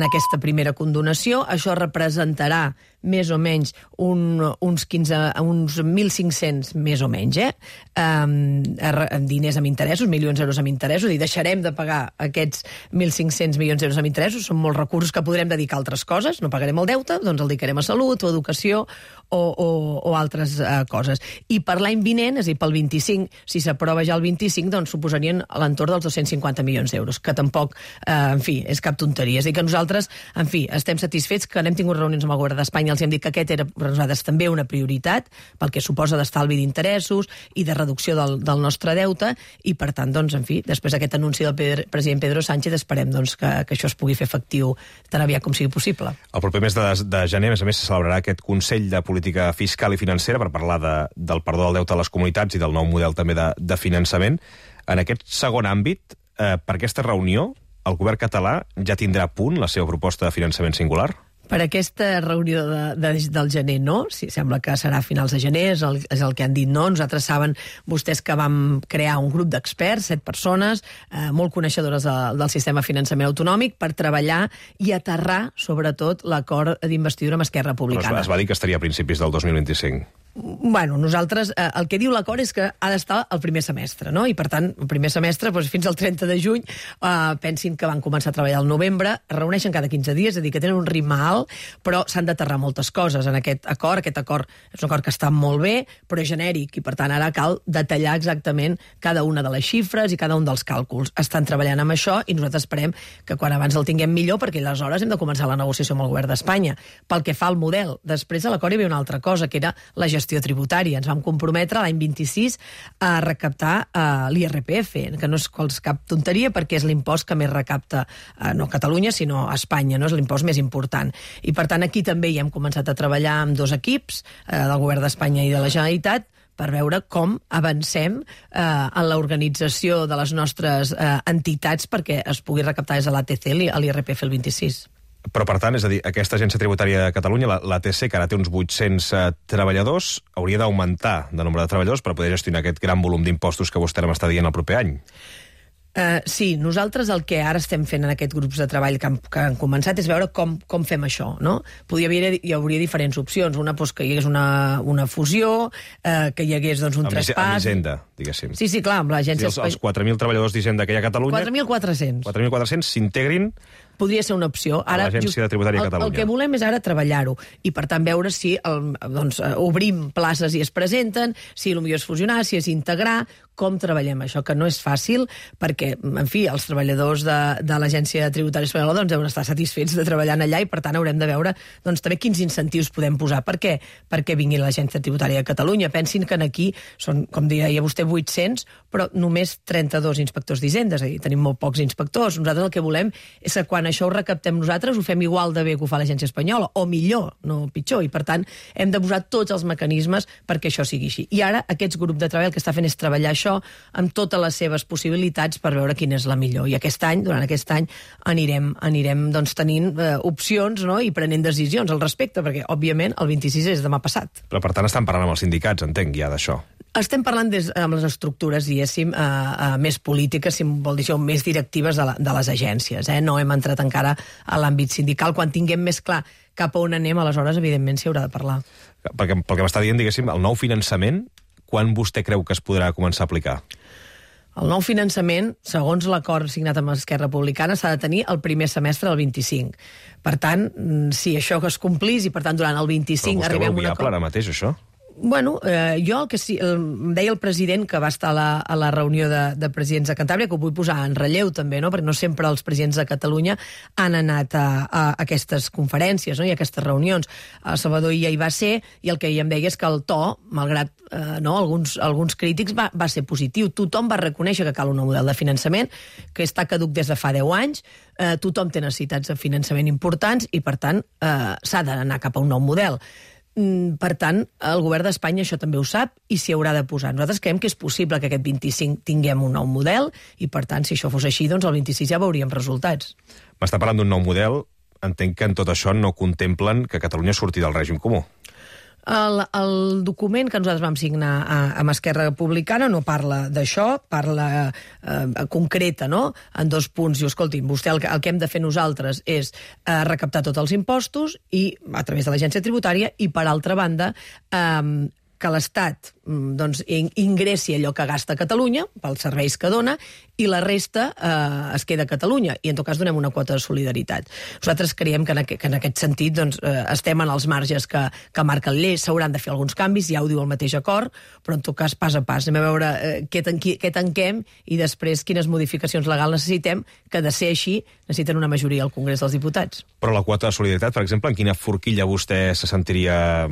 aquesta primera condonació. Això representarà més o menys uns 1.500, més o menys, diners amb interessos, milions d'euros amb interessos, i deixarem de pagar aquests 1.500 milions d'euros amb interessos. Són molts recursos que podrem dedicar a altres coses. No pagarem el deute, doncs el dedicarem a salut o educació o altres coses. I per l'any vinent, és a dir, pel 25, si s'aprova ja el 25, doncs suposarien a l'entorn dels 250 milions d'euros, que tampoc, en fi, és cap tonteria. És a dir, que nosaltres, en fi, estem satisfets que n'hem tingut reunions amb el govern d'Espanya, els hem dit que aquest era per nosaltres també una prioritat, pel que suposa d'estalvi d'interessos i de reducció del nostre deute, i per tant, doncs, en fi, després d'aquest anunci del president Pedro Sánchez, esperem doncs, que això es pugui fer efectiu tan aviat com sigui possible. El proper mes de gener, a més a més, se celebrarà aquest Consell de Política Fiscal i Financera per parlar del perdó del deute a les comunitats i del nou model també de finançament. En aquest segon àmbit, per aquesta reunió, el govern català ja tindrà a punt la seva proposta de finançament singular? Per aquesta reunió del gener, no. Sí, sembla que serà a finals de gener, és el que han dit, no. Nosaltres saben vostès que vam crear un grup d'experts, 7 persones, molt coneixedores del sistema de finançament autonòmic, per treballar i aterrar, sobretot, l'acord d'investidura amb Esquerra Republicana. Però es va dir que estaria a principis del 2025. Bueno, nosaltres, el que diu l'acord és que ha d'estar el primer semestre, no? I per tant, el primer semestre, doncs, fins al 30 de juny, pensin que van començar a treballar al novembre, es reuneixen cada 15 dies, és a dir, que tenen un ritme alt, però s'han d'aterrar moltes coses en aquest acord. Aquest acord és un acord que està molt bé, però és genèric, i per tant ara cal detallar exactament cada una de les xifres i cada un dels càlculs. Estan treballant amb això i nosaltres esperem que quan abans el tinguem millor, perquè aleshores hem de començar la negociació amb el govern d'Espanya. Pel que fa al model, després a l'acord hi havia una altra cosa, que era la gestió tributària. Ens vam comprometre l'any 26 a recaptar l'IRPF, que no és cap tonteria perquè és l'impost que més recapta no a Catalunya, sinó a Espanya, no és l'impost més important. I per tant aquí també hi hem començat a treballar amb 2 equips, del govern d'Espanya i de la Generalitat, per veure com avancem en l'organització de les nostres entitats perquè es pugui recaptar des de l'ATC l'IRPF el 26. Però, per tant, és a dir, aquesta agència tributària de Catalunya, l'ATC, que ara té uns 800 treballadors, hauria d'augmentar de nombre de treballadors per poder gestionar aquest gran volum d'impostos que vostè m'està dient el proper any. Sí, nosaltres el que ara estem fent en aquests grups de treball que han començat és veure com fem això, no? Hi hauria diferents opcions. Una, doncs, que hi hagués una fusió, que hi hagués doncs, un traspàs... Amb Hisenda, diguéssim. Sí, clar, amb l'agència... Els 4.000 treballadors d'Hisenda que hi ha a Catalunya... 4.400. 4.400 s'integrin... Podria ser una opció. Ara, l'Agència Tributària de Catalunya. El que volem és ara treballar-ho i, per tant, veure si obrim places i es presenten, si potser és fusionar, si és integrar, com treballem això, que no és fàcil, perquè, en fi, els treballadors de l'Agència Tributària Espanyola deuen estar satisfets de treballar allà i, per tant, haurem de veure també quins incentius podem posar. Per què? Perquè vingui l'Agència Tributària de Catalunya. Pensin que aquí són, com deia vostè, 800, però només 32 inspectors d'Hisenda, és a dir, tenim molt pocs inspectors. Nosaltres el que volem és que quan això ho recaptem nosaltres ho fem igual de bé que ho fa l'Agència Espanyola, o millor, no pitjor, i per tant hem de posar tots els mecanismes perquè això sigui així. I ara aquest grup de treball que està fent és treballar això amb totes les seves possibilitats per veure quina és la millor. I aquest any, durant aquest any, anirem doncs, tenint opcions, no? I prenent decisions al respecte, perquè, òbviament, el 26 és demà passat. Però, per tant, estan parlant amb els sindicats, entenc, ja d'això. Estem parlant amb les estructures, diguéssim, més polítiques, si vol dir això, més directives de les agències. No hem entrat encara a l'àmbit sindical. Quan tinguem més clar cap a on anem, aleshores, evidentment, s'hi haurà de parlar. Perquè, pel que m'està dient, diguéssim, el nou finançament, quan vostè creu que es podrà començar a aplicar? El nou finançament, segons l'acord signat amb Esquerra Republicana, s'ha de tenir el primer semestre del 25. Per tant, si això es complís i, per tant, durant el 25 arribem a un acord... Però vostè ho veu viable ara mateix, això? Bueno, jo el que sí, em deia el president que va estar a la reunió de presidents de Cantàbria, que ho vull posar en relleu també, no? Perquè no sempre els presidents de Catalunya han anat a aquestes conferències, no? I a aquestes reunions. El Salvador ja hi va ser i el que ell em deia és que el to, malgrat alguns crítics, va ser positiu. Tothom va reconèixer que cal un nou model de finançament, que està caduc des de fa 10 anys, tothom té necessitats de finançament importants i, per tant, s'ha d'anar cap a un nou model. Per tant, el govern d'Espanya això també ho sap i s'hi haurà de posar. Nosaltres creiem que és possible que aquest 25 tinguem un nou model i, per tant, si això fos així, doncs el 26 ja veuríem resultats. M'està parlant d'un nou model. Entenc que en tot això no contemplen que Catalunya surti del règim comú. El document que nosaltres vam signar amb Esquerra Republicana no parla d'això, parla concreta, no?, en 2 punts. Diu, escolti'm, vostè el que hem de fer nosaltres és recaptar tots els impostos i a través de l'agència tributària i, per altra banda, que l'Estat ingressi allò que gasta Catalunya pels serveis que dona i la resta es queda a Catalunya i en tot cas donem una quota de solidaritat. Nosaltres creiem que en aquest sentit estem en els marges que marca la llei, s'hauran de fer alguns canvis, ja ho diu el mateix acord, però en tot cas pas a pas. Anem a veure què tanquem i després quines modificacions legals necessitem, que de ser així necessiten una majoria al Congrés dels Diputats. Però la quota de solidaritat, per exemple, en quina forquilla vostè se sentiria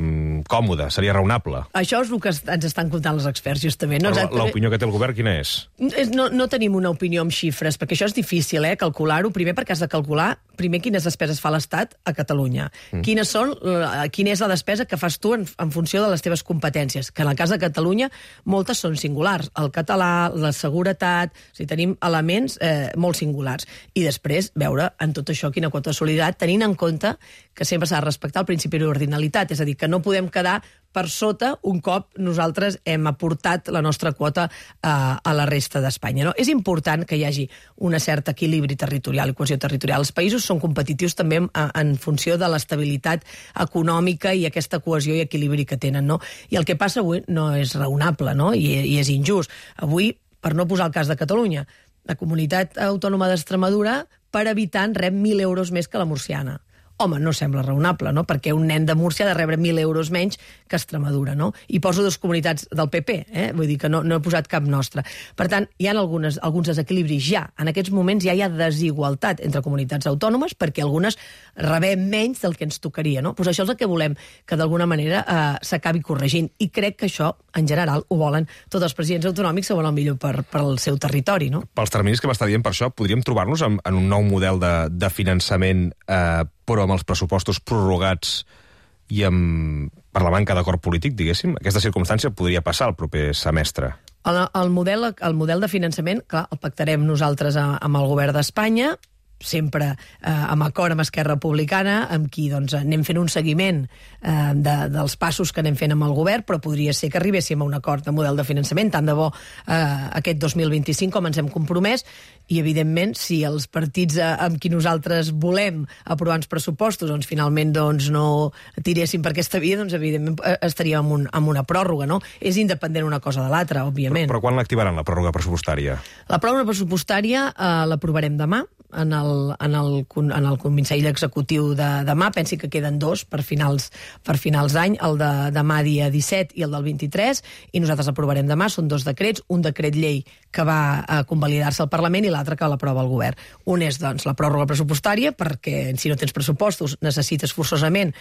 còmode? Seria raonable? Això és el que ens estan comptant els experts, justament. Però l'opinió que té el govern, quina és? No tenim una opinió amb xifres, perquè això és difícil, calcular-ho. Primer, perquè has de calcular quines despeses fa l'Estat a Catalunya. Quina és la despesa que fas tu en funció de les teves competències, que en el cas de Catalunya moltes són singulars. El català, la seguretat, o sigui, tenim elements molt singulars. I després veure en tot això quina quota de solidaritat, tenint en compte que sempre s'ha de respectar el principi d'ordinalitat, és a dir, que no podem quedar per sota un cop nosaltres hem aportat la nostra quota a la resta d'Espanya. No? És important que hi hagi un cert equilibri territorial i cohesió territorial. Els països són competitius també en funció de l'estabilitat econòmica i aquesta cohesió i equilibri que tenen. No? I el que passa avui no és raonable, no? I és injust. Avui, per no posar el cas de Catalunya, la comunitat autònoma d'Extremadura per habitant rep 1.000 euros més que la murciana. Home, no sembla raonable, no? Perquè un nen de Múrcia ha de rebre 1.000 euros menys que Extremadura, no? I poso 2 comunitats del PP, vull dir que no he posat cap nostra. Per tant, hi ha alguns desequilibris ja. En aquests moments ja hi ha desigualtat entre comunitats autònomes perquè algunes rebem menys del que ens tocaria, no? Pues això és el que volem, que d'alguna manera s'acabi corregint. I crec que això, en general, ho volen tots els presidents autonòmics que volen el millor per al seu territori, no? Pels terminis que m'està dient, per això, podríem trobar-nos en un nou model de finançament però amb els pressupostos prorrogats i per la manca d'acord polític, diguéssim. Aquesta circumstància podria passar el proper semestre. El model de finançament, clar, el pactarem nosaltres amb el govern d'Espanya, sempre amb acord amb Esquerra Republicana, amb qui anem fent un seguiment dels passos que anem fent amb el govern, però podria ser que arribéssim a un acord de model de finançament, tant de bo aquest 2025 com ens hem compromès, i evidentment si els partits amb qui nosaltres volem aprovar uns pressupostos finalment no tiréssim per aquesta via, evidentment estaríem en una pròrroga, no? És independent una cosa de l'altra, òbviament. Però quan l'activaran, la pròrroga pressupostària? La pròrroga pressupostària l'aprovarem demà en el Consell Executiu de demà. Pensi que queden 2 per finals d'any, el de demà dia 17 i el del 23, i nosaltres aprovarem demà. Són 2 decrets, un decret llei que va a convalidar-se al Parlament i l'altre que l'aprova el govern. Un és, la pròrroga pressupostària, perquè si no tens pressupostos necessites forçosament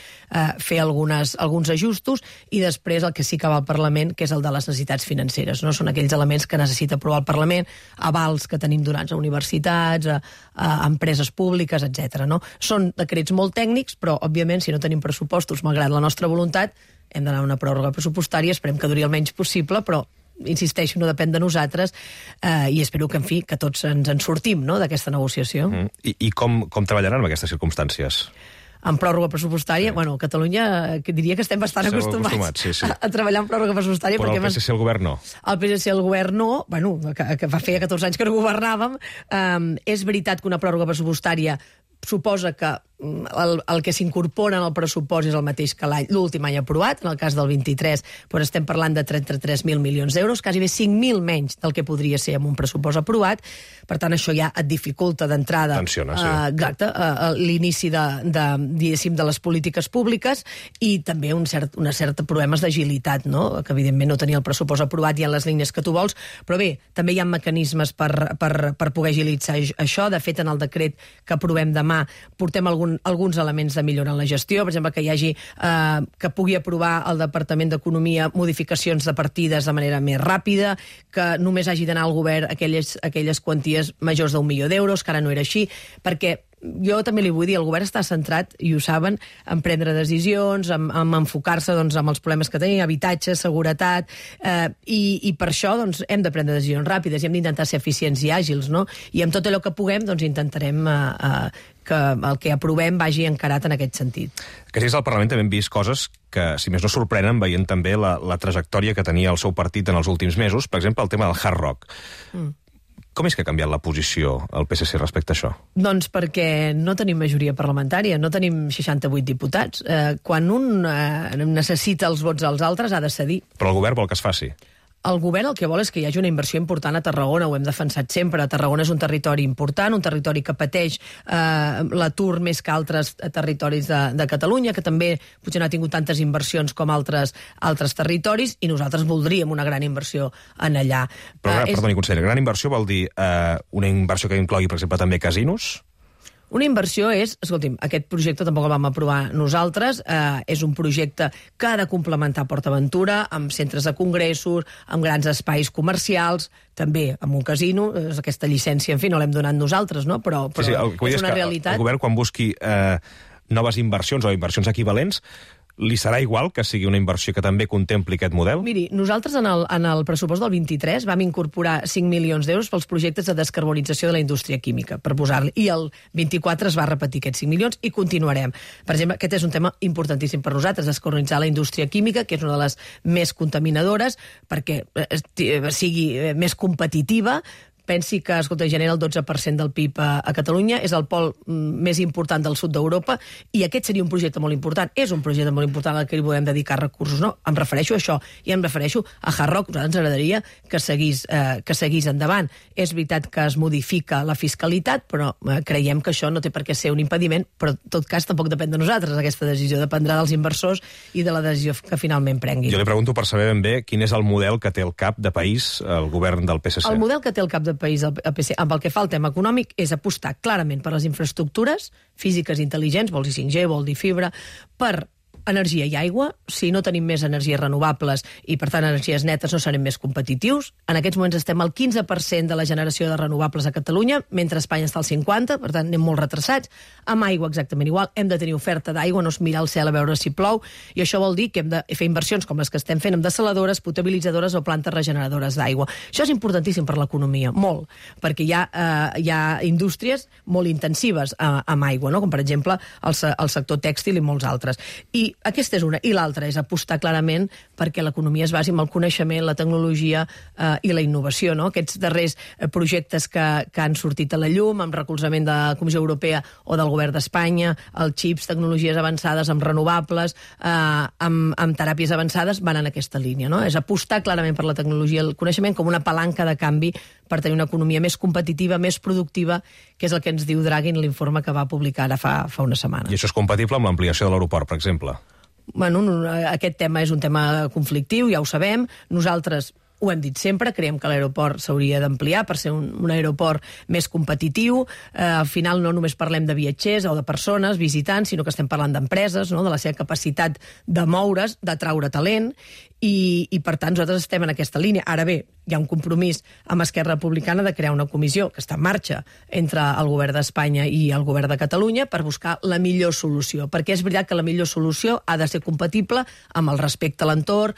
fer alguns ajustos, i després el que sí que va al Parlament, que és el de les necessitats financeres. No? Són aquells elements que necessita aprovar el Parlament, avals que tenim donats a universitats, a empreses públiques, etc. No? Són decrets molt tècnics, però, òbviament, si no tenim pressupostos, malgrat la nostra voluntat, hem d'anar a una pròrroga pressupostària, esperem que duri el menys possible, però insisteixo, no depèn de nosaltres, i espero que, en fi, que tots ens en sortim, no?, d'aquesta negociació. I com treballaran en aquestes circumstàncies? En pròrroga pressupostària, a Catalunya diria que estem bastant acostumats a treballar en pròrroga pressupostària. Però el PSC i el govern no. El PSC i el govern no, que fa feia 14 anys que no governàvem. És veritat que una pròrroga pressupostària suposa que el que s'incorpora en el pressupost és el mateix que l'últim any aprovat. En el cas del 23 estem parlant de 33.000 milions d'euros, quasi bé 5.000 menys del que podria ser amb un pressupost aprovat. Per tant, això ja et dificulta d'entrada l'inici de les polítiques públiques, i també uns certs problemes d'agilitat, no? Que evidentment no tenia el pressupost aprovat i en les línies que tu vols, però bé, també hi ha mecanismes per poder agilitzar això. De fet, en el decret que aprovem demà portem alguns elements de millora en la gestió, per exemple, que pugui aprovar el Departament d'Economia modificacions de partides de manera més ràpida, que només hagi d'anar al govern aquelles quanties majors d'1 milió d'euros, que ara no era així, perquè jo també li vull dir, el govern està centrat, i ho saben, en prendre decisions, en enfocar-se doncs, en els problemes que tenim, habitatge, seguretat, i per això doncs, hem de prendre decisions ràpides i hem d'intentar ser eficients i àgils, no? I amb tot allò que puguem doncs, intentarem que el que aprovem vagi encarat en aquest sentit. Que si és al Parlament també hem vist coses que, si més no, sorprenen, veient també la trajectòria que tenia el seu partit en els últims mesos. Per exemple, el tema del Hard Rock. Com és que ha canviat la posició el PSC respecte a això? Doncs perquè no tenim majoria parlamentària, no tenim 68 diputats. Quan un necessita els vots dels altres, ha de cedir. Però el govern vol que es faci. El govern el que vol és que hi hagi una inversió important a Tarragona, ho hem defensat sempre. Tarragona és un territori important, un territori que pateix l'atur més que altres territoris de Catalunya, que també potser no ha tingut tantes inversions com altres territoris, i nosaltres voldríem una gran inversió en allà. Però, perdoni, conseller, gran inversió vol dir una inversió que inclogui, per exemple, també casinos? Una inversió és, escolti'm, aquest projecte tampoc el vam aprovar nosaltres, és un projecte que ha de complementar PortAventura amb centres de congressos, amb grans espais comercials, també amb un casino, aquesta llicència, en fi, no l'hem donat nosaltres, no? Però sí, és una realitat. El govern, quan busqui noves inversions o inversions equivalents, li serà igual que sigui una inversió que també contempli aquest model? Miri, nosaltres en el pressupost del 23 vam incorporar 5 milions d'euros pels projectes de descarbonització de la indústria química, per posar-li, i el 24 es va repetir aquests 5 milions i continuarem. Per exemple, aquest és un tema importantíssim per nosaltres, descarbonitzar la indústria química, que és una de les més contaminadores, perquè sigui més competitiva. Pensi que, escolta, genera el 12% del PIB a Catalunya, és el pol més important del sud d'Europa, i aquest seria un projecte molt important. És un projecte molt important al que hi podem dedicar recursos, no? Em refereixo a això, i em refereixo a Hard Rock. A nosaltres ens agradaria que seguís endavant. És veritat que es modifica la fiscalitat, però creiem que això no té per què ser un impediment, però en tot cas tampoc depèn de nosaltres. Aquesta decisió dependrà dels inversors i de la decisió que finalment prenguin. Jo li pregunto per saber ben bé quin és el model que té el cap de país el govern del PSC. El model que té el cap de país el PSC, amb el que fa el tema econòmic, és apostar clarament per les infraestructures físiques intel·ligents, vol dir 5G, vol dir fibra, per energia i aigua. Si no tenim més energies renovables i, per tant, energies netes, no serem més competitius. En aquests moments estem al 15% de la generació de renovables a Catalunya, mentre a Espanya està al 50%, per tant, anem molt retrasats. Amb aigua exactament igual. Hem de tenir oferta d'aigua, no és mirar al cel a veure si plou, i això vol dir que hem de fer inversions com les que estem fent amb dessaladores, potabilitzadores o plantes regeneradores d'aigua. Això és importantíssim per l'economia, molt, perquè hi ha indústries molt intensives amb aigua, no? Com, per exemple, el sector tèxtil i molts altres. I aquesta és una. I l'altra és apostar clarament perquè l'economia es basi en el coneixement, la tecnologia i la innovació, no? Aquests darrers projectes que han sortit a la llum, amb recolzament de la Comissió Europea o del Govern d'Espanya, els xips, tecnologies avançades amb renovables, amb teràpies avançades, van en aquesta línia, no? És apostar clarament per la tecnologia i el coneixement com una palanca de canvi per tenir una economia més competitiva, més productiva, que és el que ens diu Draghi en l'informe que va publicar ara fa una setmana. I això és compatible amb l'ampliació de l'aeroport, per exemple? Bueno, aquest tema és un tema conflictiu, ja ho sabem. Nosaltres ho hem dit sempre, creiem que l'aeroport s'hauria d'ampliar per ser un aeroport més competitiu. Al final no només parlem de viatgers o de persones, visitants, sinó que estem parlant d'empreses, no? De la seva capacitat de moure's, d'atraure talent, i per tant nosaltres estem en aquesta línia. Ara bé, hi ha un compromís amb Esquerra Republicana de crear una comissió que està en marxa entre el govern d'Espanya i el govern de Catalunya per buscar la millor solució, perquè és veritat que la millor solució ha de ser compatible amb el respecte a l'entorn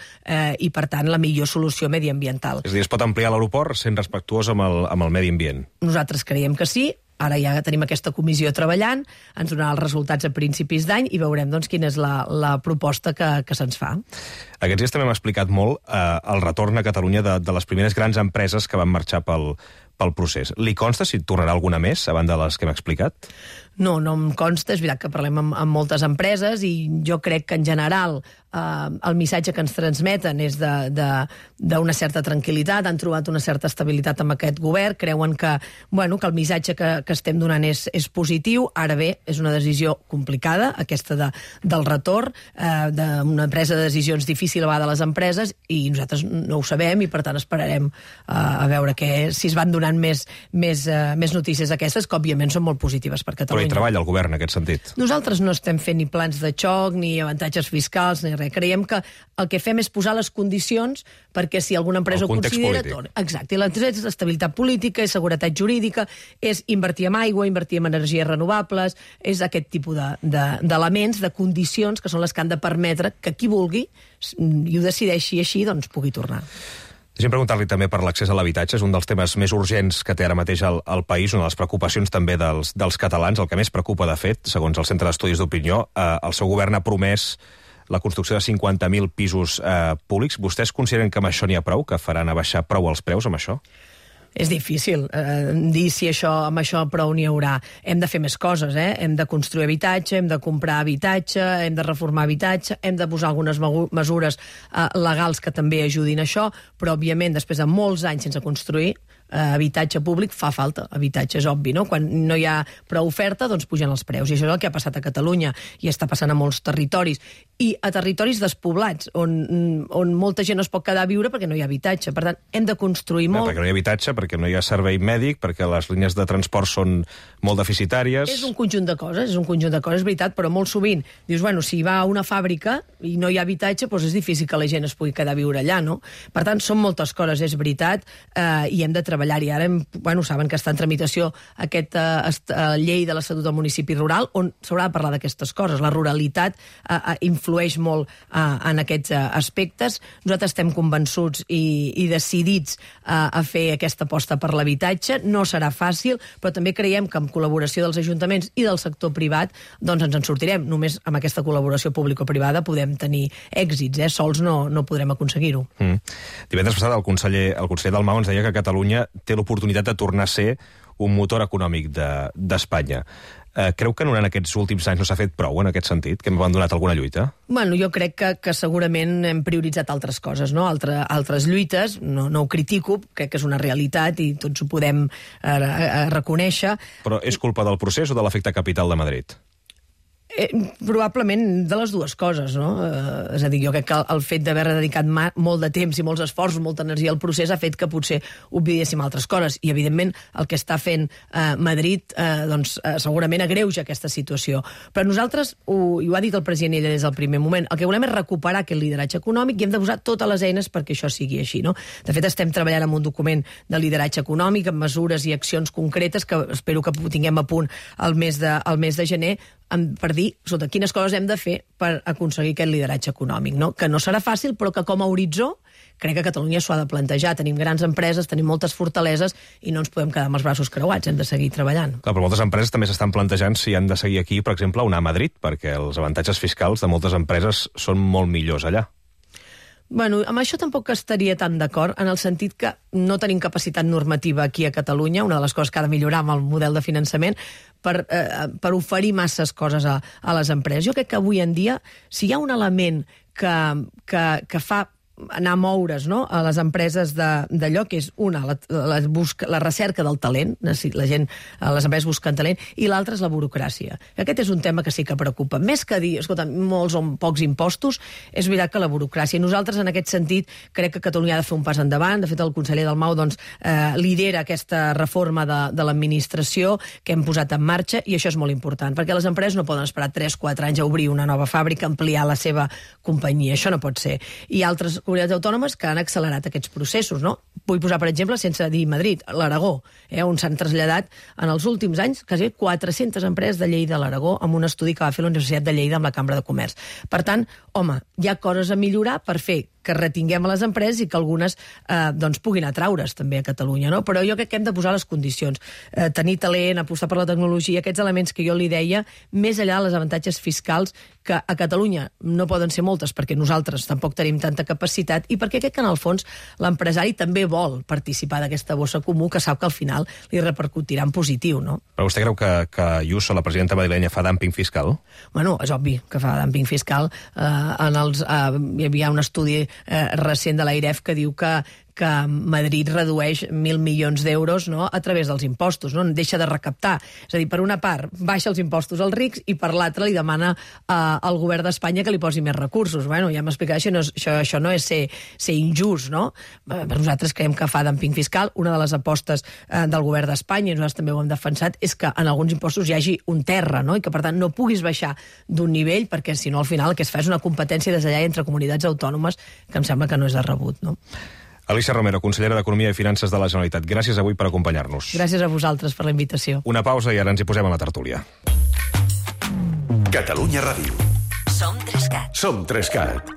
i, per tant, la millor solució mediambiental. És a dir, es pot ampliar l'aeroport sent respectuós amb el medi ambient? Nosaltres creiem que sí. Ara ja tenim aquesta comissió treballant, ens donarà els resultats a principis d'any i veurem doncs, quina és la proposta que se'ns fa. Aquests dies també hem explicat molt el retorn a Catalunya de les primeres grans empreses que van marxar pel procés. Li consta si tornarà alguna més, a banda de les que hem explicat? No em consta. És veritat que parlem amb moltes empreses i jo crec que en general el missatge que ens transmeten és d'una certa tranquil·litat, han trobat una certa estabilitat amb aquest govern, creuen que el missatge que estem donant és positiu. Ara bé, és una decisió complicada, aquesta del retorn, d'una presa de decisions difícil a vegades de les empreses, i nosaltres no ho sabem i per tant esperarem a veure si es van donar donant més notícies d'aquestes, que òbviament són molt positives per Catalunya. Però hi treballa el govern en aquest sentit? Nosaltres no estem fent ni plans de xoc, ni avantatges fiscals, ni res. Creiem que el que fem és posar les condicions perquè si alguna empresa ho considera... Exacte, i l'entrega és estabilitat política, és seguretat jurídica, és invertir en aigua, invertir en energies renovables, és aquest tipus d'elements, de condicions, que són les que han de permetre que qui vulgui, i ho decideixi així, doncs pugui tornar. Deixem preguntar-li també per l'accés a l'habitatge. És un dels temes més urgents que té ara mateix el país, una de les preocupacions també dels catalans, el que més preocupa, de fet, segons el Centre d'Estudis d'Opinió. El seu govern ha promès la construcció de 50.000 pisos públics. Vostès consideren que amb això n'hi ha prou, que faran abaixar prou els preus amb això? És difícil dir si amb això prou n'hi haurà. Hem de fer més coses, hem de construir habitatge, hem de comprar habitatge, hem de reformar habitatge, hem de posar algunes mesures legals que també ajudin a això, però, òbviament, després de molts anys sense construir, habitatge públic fa falta. Habitatge és obvi, no? Quan no hi ha prou oferta, doncs pugen els preus. I això és el que ha passat a Catalunya i està passant a molts territoris. I a territoris despoblats, on molta gent no es pot quedar a viure perquè no hi ha habitatge. Per tant, hem de construir molt. Perquè no hi ha habitatge, perquè no hi ha servei mèdic, perquè les línies de transport són molt deficitàries... És un conjunt de coses, és veritat, però molt sovint dius, bueno, si va a una fàbrica i no hi ha habitatge, doncs és difícil que la gent es pugui quedar a viure allà, no? Per tant, són moltes coses, és veritat, i hem de treballar-hi. Ara, saben que està en tramitació aquesta llei de l'Estatut del Municipi Rural, on s'haurà de parlar d'aquestes coses. La ruralitat influeix molt en aquests aspectes. Nosaltres estem convençuts i decidits a fer aquesta aposta per l'habitatge. No serà fàcil, però també creiem que amb col·laboració dels ajuntaments i del sector privat doncs ens en sortirem. Només amb aquesta col·laboració público-privada podem tenir èxits. Sols no podrem aconseguir-ho. Divendres passat el conseller Dalmau ens deia que Catalunya té l'oportunitat de tornar a ser un motor econòmic d'Espanya. Creu que en aquests últims anys no s'ha fet prou en aquest sentit, que hem abandonat alguna lluita? Bueno, jo crec que segurament hem prioritzat altres coses, no? Altres lluites, no ho critico, crec que és una realitat i tots ho podem reconèixer. Però és culpa del procés o de l'efecte capital de Madrid? Probablement de les dues coses, no? És a dir, jo crec que el fet d'haver dedicat molt de temps i molts esforços, molta energia al procés, ha fet que potser oblidéssim altres coses. I, evidentment, el que està fent Madrid segurament agreuja aquesta situació. Però nosaltres, i ho ha dit el president ella des del primer moment, el que volem és recuperar aquest lideratge econòmic i hem de posar totes les eines perquè això sigui així, no? De fet, estem treballant en un document de lideratge econòmic, amb mesures i accions concretes que espero que tinguem a punt el mes de gener, per dir quines coses hem de fer per aconseguir aquest lideratge econòmic, no? Que no serà fàcil, però que com a horitzó crec que Catalunya s'ho ha de plantejar. Tenim grans empreses, tenim moltes fortaleses i no ens podem quedar amb els braços creuats, hem de seguir treballant. Clar, però moltes empreses també s'estan plantejant si han de seguir aquí, per exemple, o anar a Madrid, perquè els avantatges fiscals de moltes empreses són molt millors allà. Bueno, amb això tampoc estaria tan d'acord, en el sentit que no tenim capacitat normativa aquí a Catalunya, una de les coses que ha de millorar amb el model de finançament, per oferir masses coses a les empreses. Jo crec que avui en dia, si hi ha un element que fa anar a moure's, no?, a les empreses d'allò, que és una, la recerca del talent, les empreses busquen talent, i l'altra és la burocràcia. Aquest és un tema que sí que preocupa. Més que dir, escolta, molts o pocs impostos, és veritat que la burocràcia. Nosaltres, en aquest sentit, crec que Catalunya ha de fer un pas endavant. De fet, el conseller Dalmau lidera aquesta reforma de l'administració que hem posat en marxa, i això és molt important, perquè les empreses no poden esperar 3-4 anys a obrir una nova fàbrica, ampliar la seva companyia. Això no pot ser. I altres comunitats autònomes que han accelerat aquests processos, no? Vull posar, per exemple, sense dir Madrid, l'Aragó, on s'han traslladat en els últims anys quasi 400 empreses de Lleida a l'Aragó amb un estudi que va fer la Universitat de Lleida amb la Cambra de Comerç. Per tant, home, hi ha coses a millorar per fer que retinguem a les empreses i que algunes puguin atraure's també a Catalunya, no? Però jo crec que hem de posar les condicions. Tenir talent, apostar per la tecnologia, aquests elements que jo li deia, més enllà dels avantatges fiscals, que a Catalunya no poden ser moltes perquè nosaltres tampoc tenim tanta capacitat i perquè crec que en el fons l'empresari també vol participar d'aquesta bossa comú que sap que al final li repercutirà en positiu, no? Però vostè creu que Ayuso, la presidenta madrilenya, fa dumping fiscal? Bueno, és obvi que fa dumping fiscal. Hi havia un estudi recent de l'AIREF que diu que que Madrid redueix 1.000 milions d'euros, no?, a través dels impostos, no? Deixa de recaptar. És a dir, per una part, baixa els impostos als rics i per l'altra li demana al govern d'Espanya que li posi més recursos. Bueno, ja m'explicarà, això no és ser injust, no? Nosaltres creiem que fa dumping fiscal. Una de les apostes del govern d'Espanya, i nosaltres també ho hem defensat, és que en alguns impostos hi hagi un terra, no?, i que, per tant, no puguis baixar d'un nivell, perquè, si no, al final el que es fa és una competència des d'allà entre comunitats autònomes que em sembla que no és de rebut, no? Alícia Romero, consellera d'Economia i Finances de la Generalitat. Gràcies avui per acompanyar-nos. Gràcies a vosaltres per la invitació. Una pausa i ara ens hi posem a la tertúlia. Catalunya Ràdio. Som 3CAT. Som 3CAT.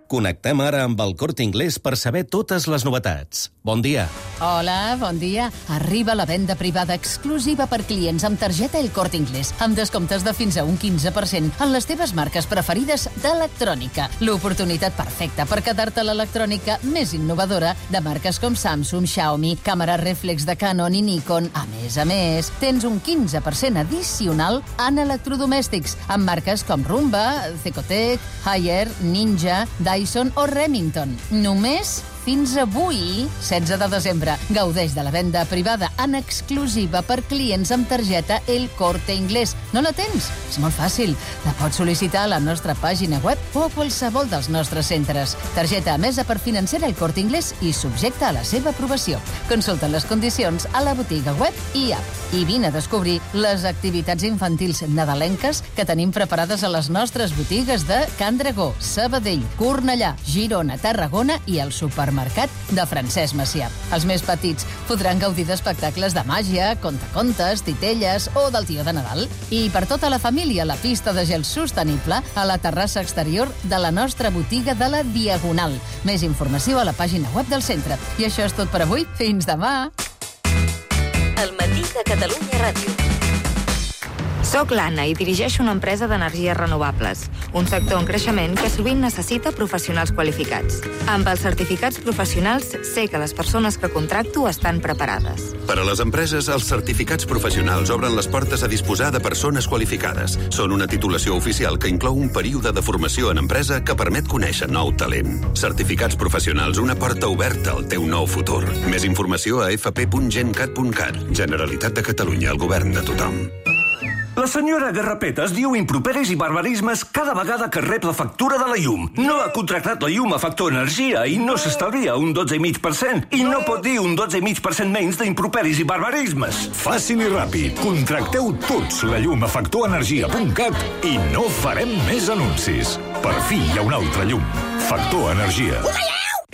Connectem ara amb el Corte Inglés per saber totes les novetats. Bon dia. Hola, bon dia. Arriba la venda privada exclusiva per clients amb targeta El Corte Inglés, amb descomptes de fins a un 15% en les teves marques preferides d'electrònica. L'oportunitat perfecta per quedar-te l'electrònica més innovadora de marques com Samsung, Xiaomi, càmera reflex de Canon i Nikon. A més, tens un 15% addicional en electrodomèstics, amb marques com Rumba, Cecotec, Haier, Ninja, Dyson o Remington. Només fins avui, 16 de desembre. Gaudeix de la venda privada en exclusiva per clients amb targeta El Corte Inglés. No la tens? És molt fàcil. La pots sol·licitar a la nostra pàgina web o a qualsevol dels nostres centres. Targeta emesa per financera El Corte Inglés i subjecta a la seva aprovació. Consulta les condicions a la botiga web i app. I vine a descobrir les activitats infantils nadalenques que tenim preparades a les nostres botigues de Can Dragó, Sabadell, Cornellà, Girona, Tarragona i el supermercat de Francesc Macià. Els més petits podran gaudir d'espectacles de màgia, contacontes, titelles o del tio de Nadal. I per tota la família, la pista de gel sostenible a la terrassa exterior de la nostra botiga de la Diagonal. Més informació a la pàgina web del centre. I això és tot per avui. Fins demà! El matí de Catalunya Ràdio. Soc l'Anna i dirigeixo una empresa d'energies renovables, un sector en creixement que sovint necessita professionals qualificats. Amb els certificats professionals sé que les persones que contracto estan preparades. Per a les empreses, els certificats professionals obren les portes a disposar de persones qualificades. Són una titulació oficial que inclou un període de formació en empresa que permet conèixer nou talent. Certificats professionals, una porta oberta al teu nou futur. Més informació a fp.gencat.cat. Generalitat de Catalunya, el govern de tothom. La senyora Garrapetes diu improperis i barbarismes cada vegada que rep la factura de la llum. No ha contractat la llum a Factor Energia i no s'estalvia un 12,5%. I no pot dir un 12,5% menys d'improperis i barbarismes. Fàcil i ràpid. Contracteu tots la llum a factorenergia.cat i no farem més anuncis. Per fi hi ha una altra llum. Factor Energia.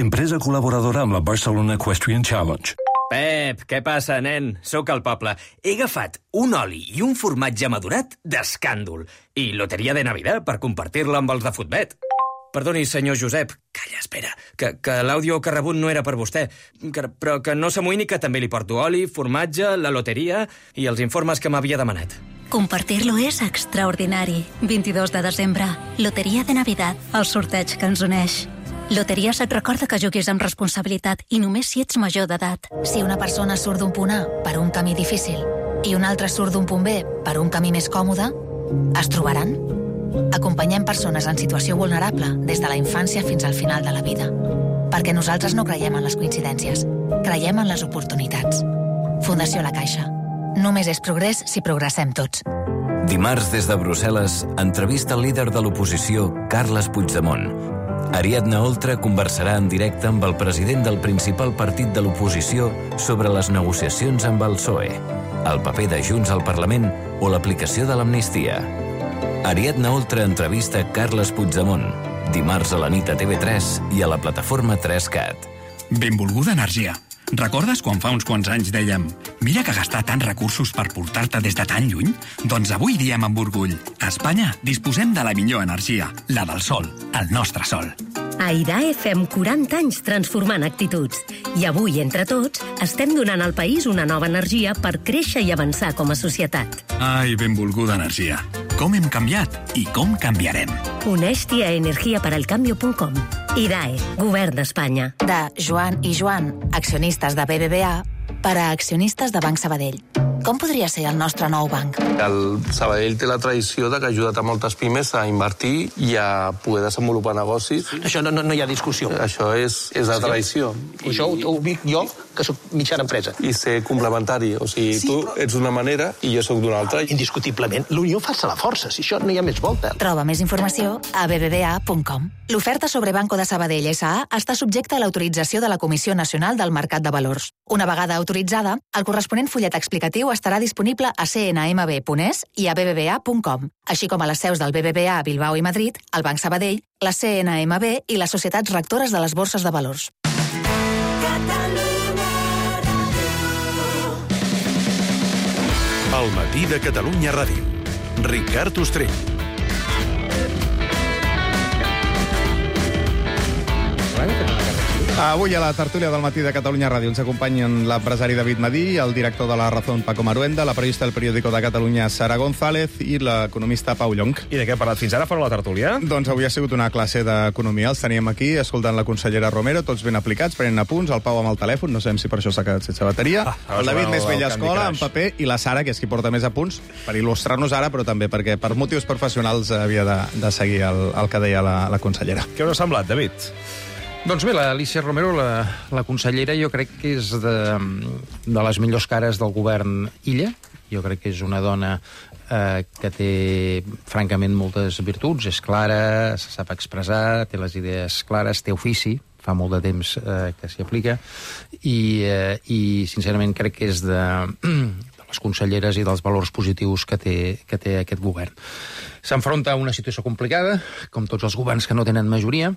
Empresa col·laboradora amb la Barcelona Equestrian Challenge. Pep, què passa, nen? Sóc al poble. He agafat un oli i un formatge madurat d'escàndol i loteria de Navidad per compartir-la amb els de Futbet. Perdoni, senyor Josep. Calla, espera, que l'àudio que ha rebut no era per vostè, però que no s'amoïni que també li porto oli, formatge, la loteria i els informes que m'havia demanat. Compartir-lo és extraordinari. 22 de desembre, loteria de Navidad, el sorteig que ens uneix. Loteries et recorda que juguis amb responsabilitat i només si ets major d'edat. Si una persona surt d'un punt A per un camí difícil i una altra surt d'un punt B per un camí més còmode, es trobaran? Acompanyem persones en situació vulnerable des de la infància fins al final de la vida. Perquè nosaltres no creiem en les coincidències, creiem en les oportunitats. Fundació La Caixa. Només és progrés si progressem tots. Dimarts, des de Brussel·les, entrevista el líder de l'oposició, Carles Puigdemont. Ariadna Oltra conversarà en directe amb el president del principal partit de l'oposició sobre les negociacions amb el PSOE, el paper de Junts al Parlament o l'aplicació de l'amnistia. Ariadna Oltra entrevista Carles Puigdemont, dimarts a la nit a TV3 i a la plataforma 3CAT. Benvolguda energia. Recordes quan fa uns quants anys dèiem «Mira que gastar tants recursos per portar-te des de tan lluny?» Doncs avui diem amb orgull «A Espanya disposem de la millor energia, la del sol, el nostre sol». A IDAE fem 40 anys transformant actituds. I avui, entre tots, estem donant al país una nova energia per créixer i avançar com a societat. Ai, benvolguda energia. Com hem canviat i com canviarem. Uneix-t'hi a energiaparalcambio.com. IDAE, Govern d'Espanya. De Joan i Joan, accionistes de BBVA, per a accionistes de Banc Sabadell. Com podria ser el nostre nou banc? El Sabadell té la tradició de que ha ajudat a moltes pimes a invertir i a poder desenvolupar negocis. Això no hi ha discussió. Això és la tradició. Això ho dic jo, que soc mitjana empresa. I ser complementari. O sigui, tu ets d'una manera i jo sóc d'una altra. Indiscutiblement, l'unió fa la força, si això no hi ha més volta. Troba més informació a bbva.com. L'oferta sobre Banco de Sabadell S.A. està subjecta a l'autorització de la Comissió Nacional del Mercat de Valors. Una vegada autoritzada, el corresponent fullet explicatiu estarà disponible a cnmb.es i a bbva.com, així com a les seus del BBVA a Bilbao i Madrid, el Banc Sabadell, la CNMB i les societats rectores de les borses de valors. El matí de Catalunya Ràdio. Ricard Ostrell. Avui a la tertúlia del matí de Catalunya Ràdio ens acompanyen l'empresari David Madí, el director de La Razón Paco Maruenda, la periodista del periòdico de Catalunya Sara González i l'economista Pau Llonch. I de què ha parlat fins ara fora la tertúlia? Doncs avui ha sigut una classe d'economia. Els teníem aquí escoltant la consellera Romero, tots ben aplicats, prenent apunts, el Pau amb el telèfon, no sabem si per això s'ha quedat sense bateria, el David més vella escola, en paper, i la Sara, que és qui porta més apunts, per il·lustrar-nos ara, però també perquè per motius professionals havia de seguir el que deia la consellera. Què us ha semblat, David? Doncs bé, l'Alícia Romero, la consellera, jo crec que és de les millors cares del govern Illa. Jo crec que és una dona que té, francament, moltes virtuts. És clara, se sap expressar, té les idees clares, té ofici, fa molt de temps que s'hi aplica, i sincerament crec que és de les conselleres i dels valors positius que té aquest govern. S'enfronta a una situació complicada, com tots els governs que no tenen majoria,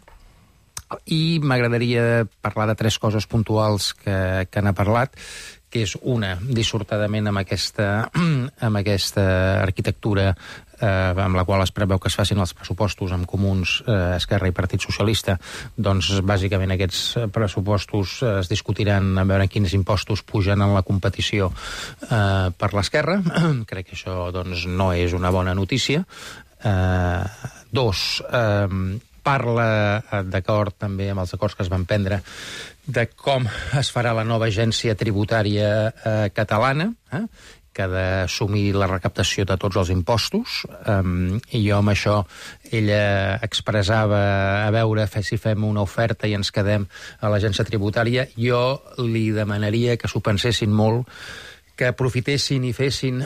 i m'agradaria parlar de 3 coses puntuals que n'ha parlat, que és una, dissortadament amb aquesta arquitectura amb la qual es preveu que es facin els pressupostos amb Comuns, Esquerra i Partit Socialista. Doncs bàsicament aquests pressupostos es discutiran a veure quins impostos pugen en la competició per l'Esquerra. Crec que això doncs, no és una bona notícia. 2, parla, d'acord també amb els acords que es van prendre, de com es farà la nova agència tributària catalana, que ha d'assumir la recaptació de tots els impostos, i jo amb això ella expressava a veure si fem una oferta i ens quedem a l'agència tributària. Jo li demanaria que s'ho pensessin molt, que aprofitessin i fessin,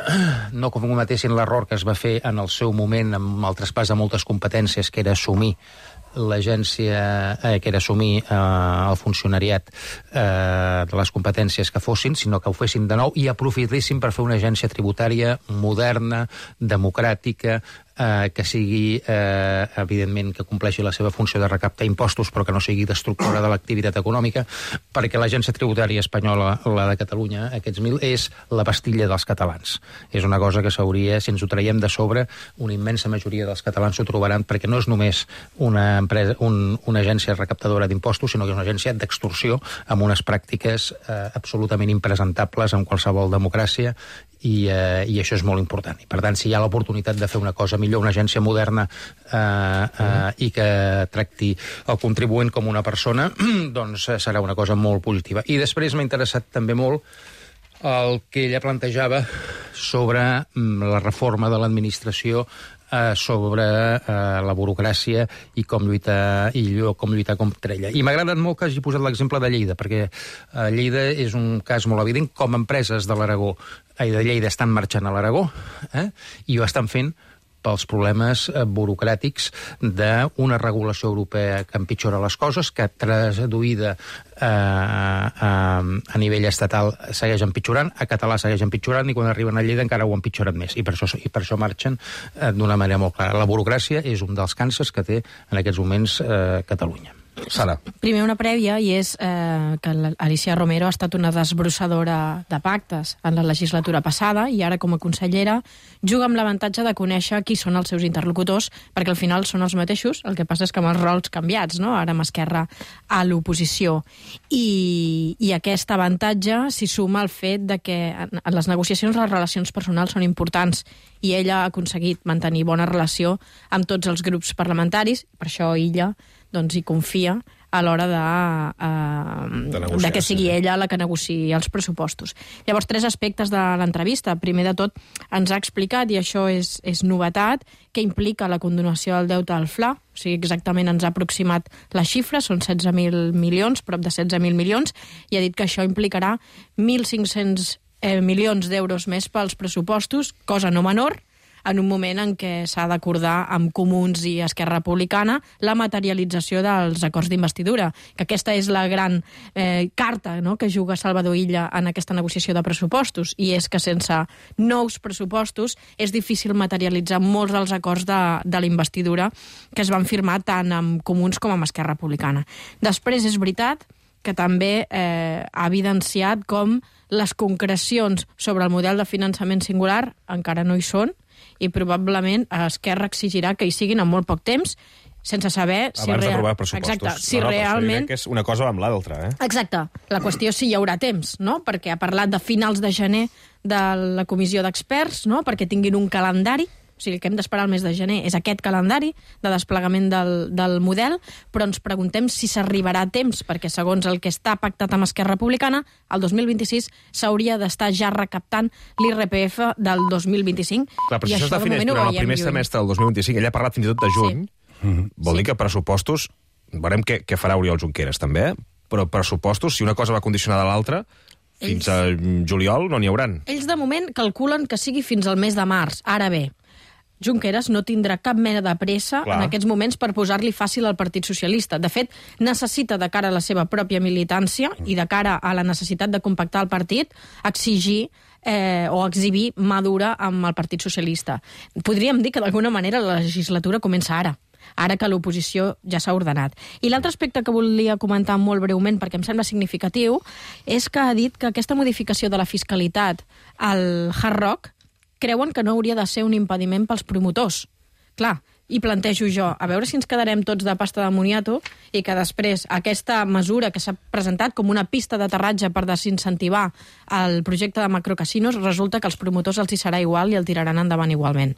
no cometessin l'error que es va fer en el seu moment amb el traspàs de moltes competències, que era assumir l'agència, que era assumir el funcionariat de les competències que fossin, sinó que ho fessin de nou i aprofitessin per fer una agència tributària moderna, democràtica, que sigui, evidentment, que compleixi la seva funció de recaptar impostos, però que no sigui destructora de l'activitat econòmica, perquè l'agència tributària espanyola, la de Catalunya, aquests 1.000, és la pastilla dels catalans. És una cosa que s'hauria, si ens ho traiem de sobre, una immensa majoria dels catalans s'ho trobaran, perquè no és només una empresa, una agència recaptadora d'impostos, sinó que és una agència d'extorsió amb unes pràctiques absolutament impresentables en qualsevol democràcia, i això és molt important. I per tant, si hi ha l'oportunitat de fer una cosa millor, una agència moderna i que tracti el contribuent com una persona, doncs serà una cosa molt positiva. I després m'ha interessat també molt el que ella plantejava sobre la reforma de l'administració, sobre la burocràcia i com lluitar contra ella. I m'ha agradat molt que hagi posat l'exemple de Lleida, perquè Lleida és un cas molt evident, com empreses de l'Aragó i de Lleida estan marxant a l'Aragó, i ho estan fent pels problemes burocràtics d'una regulació europea que empitjora les coses, que traduïda a nivell estatal segueix empitjorant, a català segueix empitjorant, i quan arriben a Lleida encara ho empitjoren més, i per això marxen d'una manera molt clara. La burocràcia és un dels càncers que té en aquests moments Catalunya. Sara. Primer una prèvia, i és que l'Alícia Romero ha estat una desbrossadora de pactes en la legislatura passada, i ara com a consellera juga amb l'avantatge de conèixer qui són els seus interlocutors, perquè al final són els mateixos, el que passa és que amb els rols canviats, no? Ara amb Esquerra a l'oposició. I aquest avantatge s'hi suma al fet de que en les negociacions les relacions personals són importants, i ella ha aconseguit mantenir bona relació amb tots els grups parlamentaris, per això ella doncs hi confia a l'hora de que sigui ella la que negociï els pressupostos. Llavors, 3 aspectes de l'entrevista. Primer de tot, ens ha explicat, i això és novetat, què implica la condonació del deute al FLA. O sigui, exactament ens ha aproximat la xifra, són 16.000 milions, prop de 16.000 milions, i ha dit que això implicarà 1.500 milions d'euros més pels pressupostos, cosa no menor, en un moment en què s'ha d'acordar amb Comuns i Esquerra Republicana la materialització dels acords d'investidura, que aquesta és la gran carta, no?, que juga Salvador Illa en aquesta negociació de pressupostos, i és que sense nous pressupostos és difícil materialitzar molts dels acords de la investidura que es van firmar tant amb Comuns com amb Esquerra Republicana. Després és veritat que també ha evidenciat com les concrecions sobre el model de finançament singular encara no hi són, i probablement Esquerra exigirà que hi siguin en molt poc temps, sense saber si... Abans d'aprovar pressupostos. Exacte, si realment... Que és una cosa amb l'altra, Exacte. La qüestió és si hi haurà temps, no? Perquè ha parlat de finals de gener de la comissió d'experts, no?, perquè tinguin un calendari. O sigui, el que hem d'esperar el mes de gener és aquest calendari de desplegament del model, però ens preguntem si s'arribarà a temps, perquè segons el que està pactat amb Esquerra Republicana, el 2026 s'hauria d'estar ja recaptant l'IRPF del 2025. Clar, però si això es defineix durant el primer semestre del 2025, ella ha parlat fins i tot de juny, vol dir que pressupostos, veurem què farà Oriol Junqueras també, però pressupostos, si una cosa va condicionada a l'altra, fins a juliol no n'hi hauran. Ells de moment calculen que sigui fins al mes de març. Ara bé, Junqueras no tindrà cap mena de pressa en aquests moments per posar-li fàcil al Partit Socialista. De fet, necessita, de cara a la seva pròpia militància i de cara a la necessitat de compactar el partit, exigir o exhibir mà dura amb el Partit Socialista. Podríem dir que d'alguna manera la legislatura comença ara que l'oposició ja s'ha ordenat. I l'altre aspecte que volia comentar molt breument, perquè em sembla significatiu, és que ha dit que aquesta modificació de la fiscalitat al Hard Rock creuen que no hauria de ser un impediment pels promotors. Clar, i plantejo jo, a veure si ens quedarem tots de pasta de moniato i que després aquesta mesura que s'ha presentat com una pista d'aterratge per desincentivar el projecte de macrocasinos, resulta que als promotors els hi serà igual i el tiraran endavant igualment.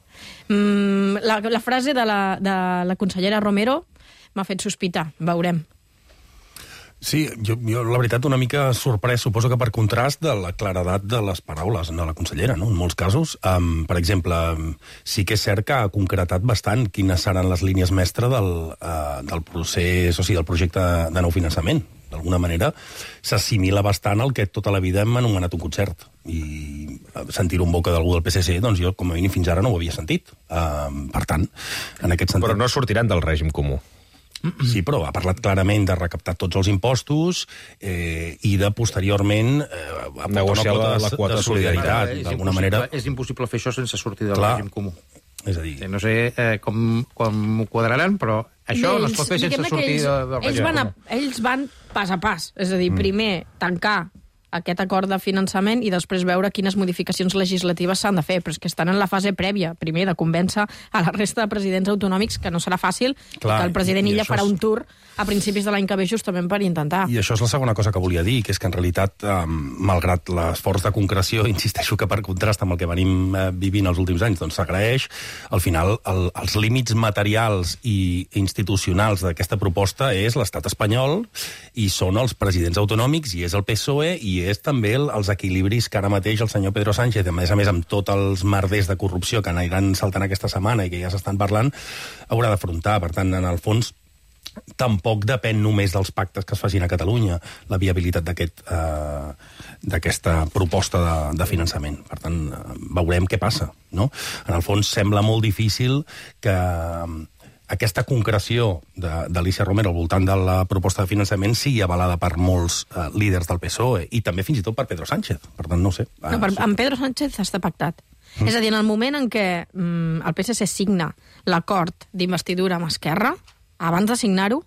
La frase de la consellera Romero m'ha fet sospitar, veurem. Sí, jo la veritat una mica sorprès, suposo que per contrast de la claredat de les paraules de la consellera, no? En molts casos. Per exemple, sí que és cert que ha concretat bastant quines seran les línies mestres del procés, o sigui, del projecte de nou finançament. D'alguna manera s'assimila bastant al que tota la vida hem anomenat un concert. I sentir-ho en boca d'algú del PSC, doncs jo, com a mínim, fins ara no ho havia sentit. Per tant, en aquest sentit... Però no sortiran del règim comú. Sí, però ha parlat clarament de recaptar tots els impostos i de, posteriorment, negociar la quota de solidaritat. D'alguna manera... És impossible fer això sense sortir del règim comú. És a dir... No sé com ho quadraran, però això no es pot fer sense sortir del règim comú. Ells van pas a pas. És a dir, primer tancar aquest acord de finançament i després veure quines modificacions legislatives s'han de fer, però és que estan en la fase prèvia, primer, de convèncer a la resta de presidents autonòmics que no serà fàcil, que el president Illa farà un tour a principis de l'any que ve justament per intentar. I això és la segona cosa que volia dir, que és que en realitat, malgrat l'esforç de concreció, insisteixo que per contrast amb el que venim vivint els últims anys, doncs s'agraeix, al final els límits materials i institucionals d'aquesta proposta és l'estat espanyol i són els presidents autonòmics i és el PSOE i és també els equilibris que ara mateix el senyor Pedro Sánchez, a més amb tots els merders de corrupció que aniran saltant aquesta setmana i que ja s'estan parlant, haurà d'afrontar. Per tant, en el fons, tampoc depèn només dels pactes que es facin a Catalunya la viabilitat d'aquesta proposta de finançament. Per tant, veurem què passa, no? En el fons, sembla molt difícil que aquesta concreció d'Alícia Romero al voltant de la proposta de finançament sigui avalada per molts líders del PSOE i també fins i tot per Pedro Sánchez. Per tant, no ho sé. Amb Pedro Sánchez està pactat. És a dir, en el moment en què el PSC signa l'acord d'investidura amb Esquerra, abans de signar-ho,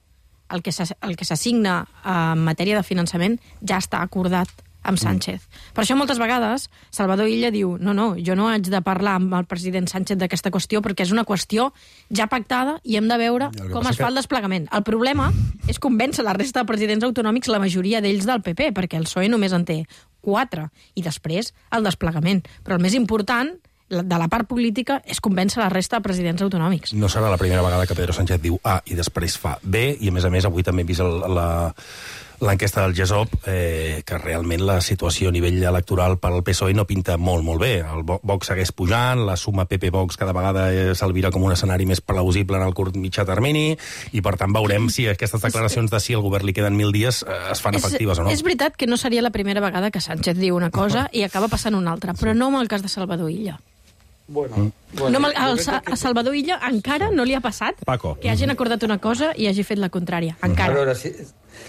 el que s'assigna en matèria de finançament ja està acordat amb Sánchez. Per això moltes vegades Salvador Illa diu no, jo no haig de parlar amb el president Sánchez d'aquesta qüestió perquè és una qüestió ja pactada i hem de veure com es fa el desplegament. El problema és convèncer la resta de presidents autonòmics, la majoria d'ells del PP, perquè el PSOE només en té 4, i després el desplegament. Però el més important de la part política és convèncer la resta de presidents autonòmics. No serà la primera vegada que Pedro Sánchez diu A i després fa B, i a més avui també he vist l'enquesta del GESOP, que realment la situació a nivell electoral per al PSOE no pinta molt, molt bé. El Vox segueix pujant, la suma PP-Vox cada vegada s'alvira com un escenari més plausible en el curt mitjà termini, i per tant veurem si aquestes declaracions de si al govern li queden 1.000 dies es fan efectives o no. És veritat que no seria la primera vegada que Sánchez diu una cosa i acaba passant una altra, però no amb el cas de Salvador Illa. A Salvador Illa encara no li ha passat que hagin acordat una cosa i hagi fet la contrària. Encara. A veure,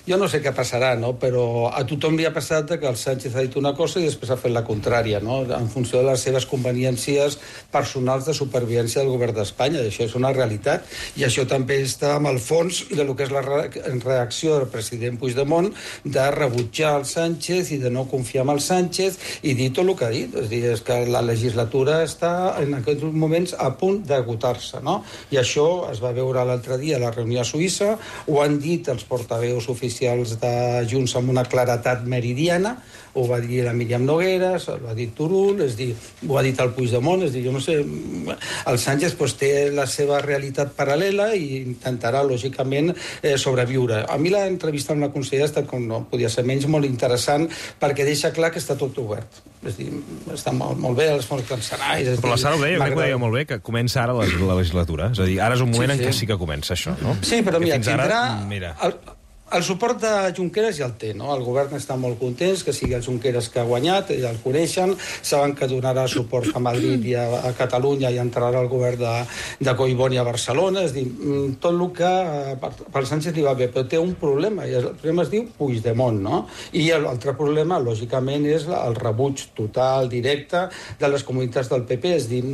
jo no sé què passarà, no? Però a tothom li ha passat que el Sánchez ha dit una cosa i després ha fet la contrària, no? En funció de les seves conveniències personals de supervivència del govern d'Espanya. I això és una realitat. I això també està amb el fons del que és la reacció del president Puigdemont de rebutjar el Sánchez i de no confiar en el Sánchez i dir tot el que ha dit. És a dir, és que la legislatura està en aquests moments a punt d'agotar-se, no? I això es va veure l'altre dia a la reunió a Suïssa, ho han dit els portaveus oficials de Junts amb una claretat meridiana, ho va dir la Míriam Nogueras, ho ha dit Turull, ho ha dit el Puigdemont, és a dir, jo no sé, el Sánchez té la seva realitat paral·lela i intentarà, lògicament, sobreviure. A mi l'entrevista amb la consellera ha estat, com no podia ser menys, molt interessant, perquè deixa clar que està tot obert. És a dir, està molt bé, els fons cancel·laris... Però la Sara ho deia, crec que ho deia molt bé, que comença ara la legislatura. És a dir, ara és un moment en què sí que comença això, no? Sí, però mira, tindrà... El suport de Junqueras ja el té, no? El govern està molt content que sigui el Junqueras que ha guanyat, ja el coneixen, saben que donarà suport a Madrid i a Catalunya i entrarà al govern de Collboni a Barcelona, és a dir, tot el que pel Sánchez li va bé, però té un problema, i el problema es diu Puigdemont, no? I l'altre problema, lògicament, és el rebuig total, directe, de les comunitats del PP, és a dir,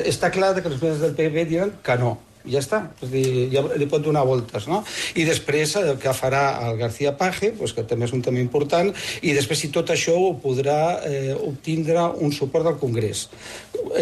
està clar que les comunitats del PP diran que no. Ja està, és dir, ja li pot donar voltes, no? I després el que farà el García Page, que també és un tema important, i després si tot això ho podrà obtindre un suport del Congrés.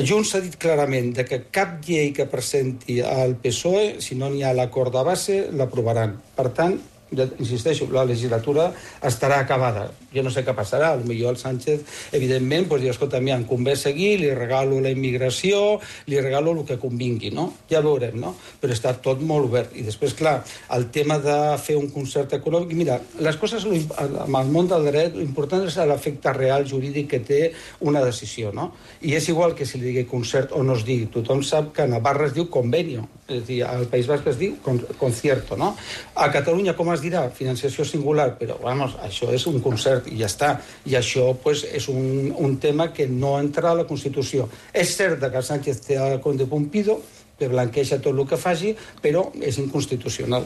Junts ha dit clarament que cap llei que presenti al PSOE, si no n'hi ha l'acord de base, l'aprovaran. Per tant, ja insisteixo, la legislatura estarà acabada. Jo no sé què passarà. Potser el Sánchez, evidentment, diu, escolta, em convé seguir, li regalo la immigració, li regalo el que convingui, no? Ja veurem, no? Però està tot molt obert. I després, clar, el tema de fer un concert econòmic... Mira, les coses, amb el món del dret, l'important és l'efecte real jurídic que té una decisió, no? I és igual que si li digui concert o no es digui. Tothom sap que a Navarra es diu convenio. És a dir, al País Basc es diu concierto, no? A Catalunya, com es dirà? Financiació singular, però, vamos, això és un concert i ja està. I això, és un tema que no entra a la Constitució. És cert que Sánchez té el Conde Pumpido, que blanqueja tot el que faci, però és inconstitucional.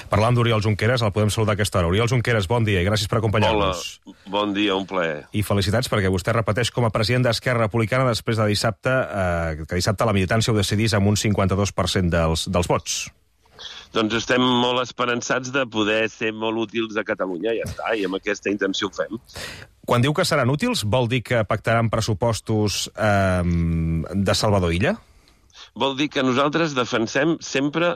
Parlant d'Oriol Junqueras, el podem saludar a aquesta hora. Oriol Junqueras, bon dia i gràcies per acompanyar-nos. Hola, bon dia, un plaer. I felicitats perquè vostè repeteix com a president d'Esquerra Republicana després de dissabte, que dissabte la militància ho decidís amb un 52% dels vots. Doncs estem molt esperançats de poder ser molt útils a Catalunya, ja està, i amb aquesta intenció ho fem. Quan diu que seran útils, vol dir que pactaran pressupostos de Salvador Illa? Vol dir que nosaltres defensem sempre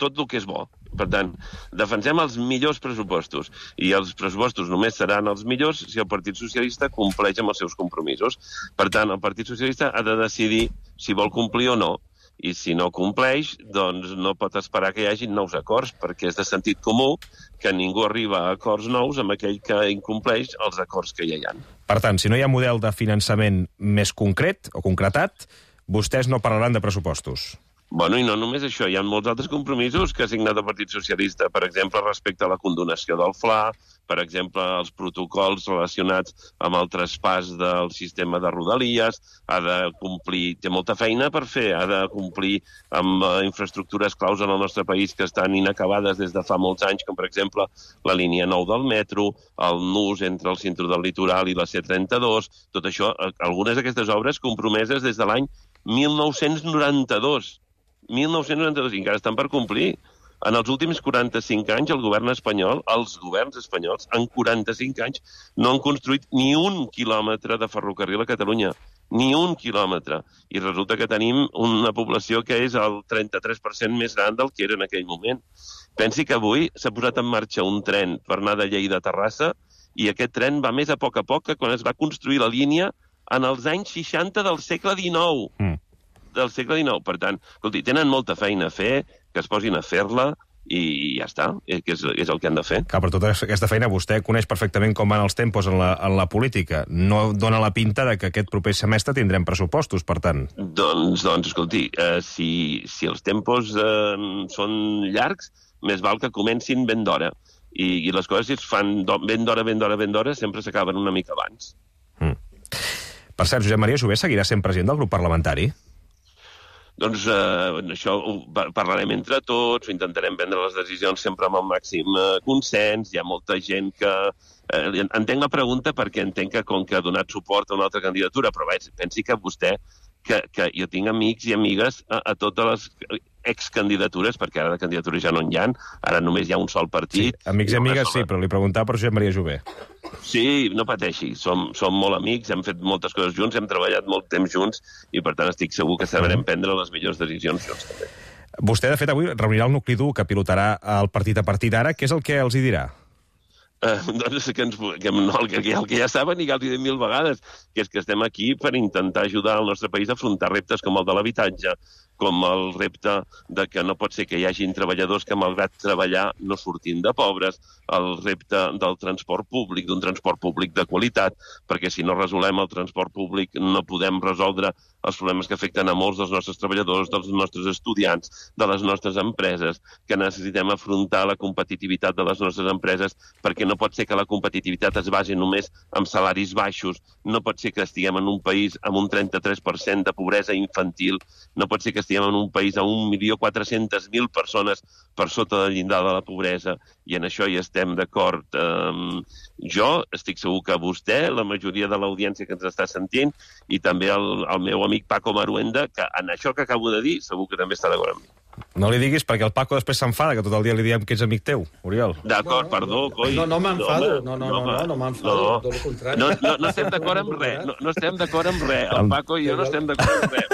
tot el que és bo. Per tant, defensem els millors pressupostos. I els pressupostos només seran els millors si el Partit Socialista compleix amb els seus compromisos. Per tant, el Partit Socialista ha de decidir si vol complir o no. I si no compleix, doncs no pot esperar que hi hagi nous acords, perquè és de sentit comú que ningú arriba a acords nous amb aquell que incompleix els acords que ja hi ha. Per tant, si no hi ha model de finançament més concret o concretat, vostès no parlaran de pressupostos. Bueno, i no només això, hi ha molts altres compromisos que ha signat el Partit Socialista, per exemple, respecte a la condonació del FLA, per exemple, els protocols relacionats amb el traspàs del sistema de Rodalies, ha de complir, té molta feina per fer, ha de complir amb infraestructures claus en el nostre país que estan inacabades des de fa molts anys, com per exemple la línia 9 del metro, el nus entre el cinturó del litoral i la C32, tot això, algunes d'aquestes obres compromeses des de l'any 1992, i encara estan per complir. En els últims 45 anys, el govern espanyol, els governs espanyols, en 45 anys, no han construït ni un quilòmetre de ferrocarril a Catalunya. Ni un quilòmetre. I resulta que tenim una població que és el 33% més gran del que era en aquell moment. Pensi que avui s'ha posat en marxa un tren per anar de Lleida a Terrassa i aquest tren va més a poc que quan es va construir la línia en els anys 60 del segle XIX. Del segle XIX. Per tant, escolti, tenen molta feina a fer, que es posin a fer-la, i ja està, que és el que han de fer. Clar, per tota aquesta feina vostè coneix perfectament com van els tempos en la política. No dona la pinta de que aquest proper semestre tindrem pressupostos, per tant. Doncs escolti, si els tempos són llargs, més val que comencin ben d'hora. I les coses, si es fan ben d'hora, sempre s'acaben una mica abans. Per cert, Josep Maria Jové seguirà sent president del grup parlamentari? Doncs això ho parlarem entre tots, ho intentarem prendre les decisions sempre amb el màxim consens. Hi ha molta gent que... Entenc la pregunta perquè entenc que com que ha donat suport a una altra candidatura, però pensi que vostè, que jo tinc amics i amigues a totes les excandidatures, perquè ara de candidatures ja no n'hi ha, ara només hi ha un sol partit. Sí, amics i amigues sí, però li preguntava per Josep Maria Jové. Sí, no pateixi, som molt amics, hem fet moltes coses junts, hem treballat molt temps junts i per tant estic segur que sabrem prendre les millors decisions junts també. Vostè, de fet, avui reunirà el nucli dur que pilotarà el partit a partir d'ara. Què és el que els hi dirà? Doncs el que ja saben i que els hi dit 1000 vegades, que és que estem aquí per intentar ajudar el nostre país a afrontar reptes com el de l'habitatge, com el repte de que no pot ser que hi hagin treballadors que, malgrat treballar, no surtin de pobres, el repte del transport públic, d'un transport públic de qualitat, perquè si no resolem el transport públic no podem resoldre els problemes que afecten a molts dels nostres treballadors, dels nostres estudiants, de les nostres empreses, que necessitem afrontar la competitivitat de les nostres empreses, perquè no pot ser que la competitivitat es basi només en salaris baixos, no pot ser que estiguem en un país amb un 33% de pobresa infantil, no pot ser que estiguem en un país amb 1.400.000 persones per sota del llindar de la pobresa, i en això hi estem d'acord. Jo estic segur que vostè, la majoria de l'audiència que ens està sentint, i també el meu amic Paco Maruenda, que en això que acabo de dir segur que també està d'acord amb mi. No li diguis, perquè el Paco després s'enfada, que tot el dia li diem que ets amic teu, Oriol. D'acord, perdó, coi. No m'enfado, no m'enfado, tot el contrari. No estem d'acord amb res, no estem d'acord amb res. El Paco i jo no estem d'acord amb res,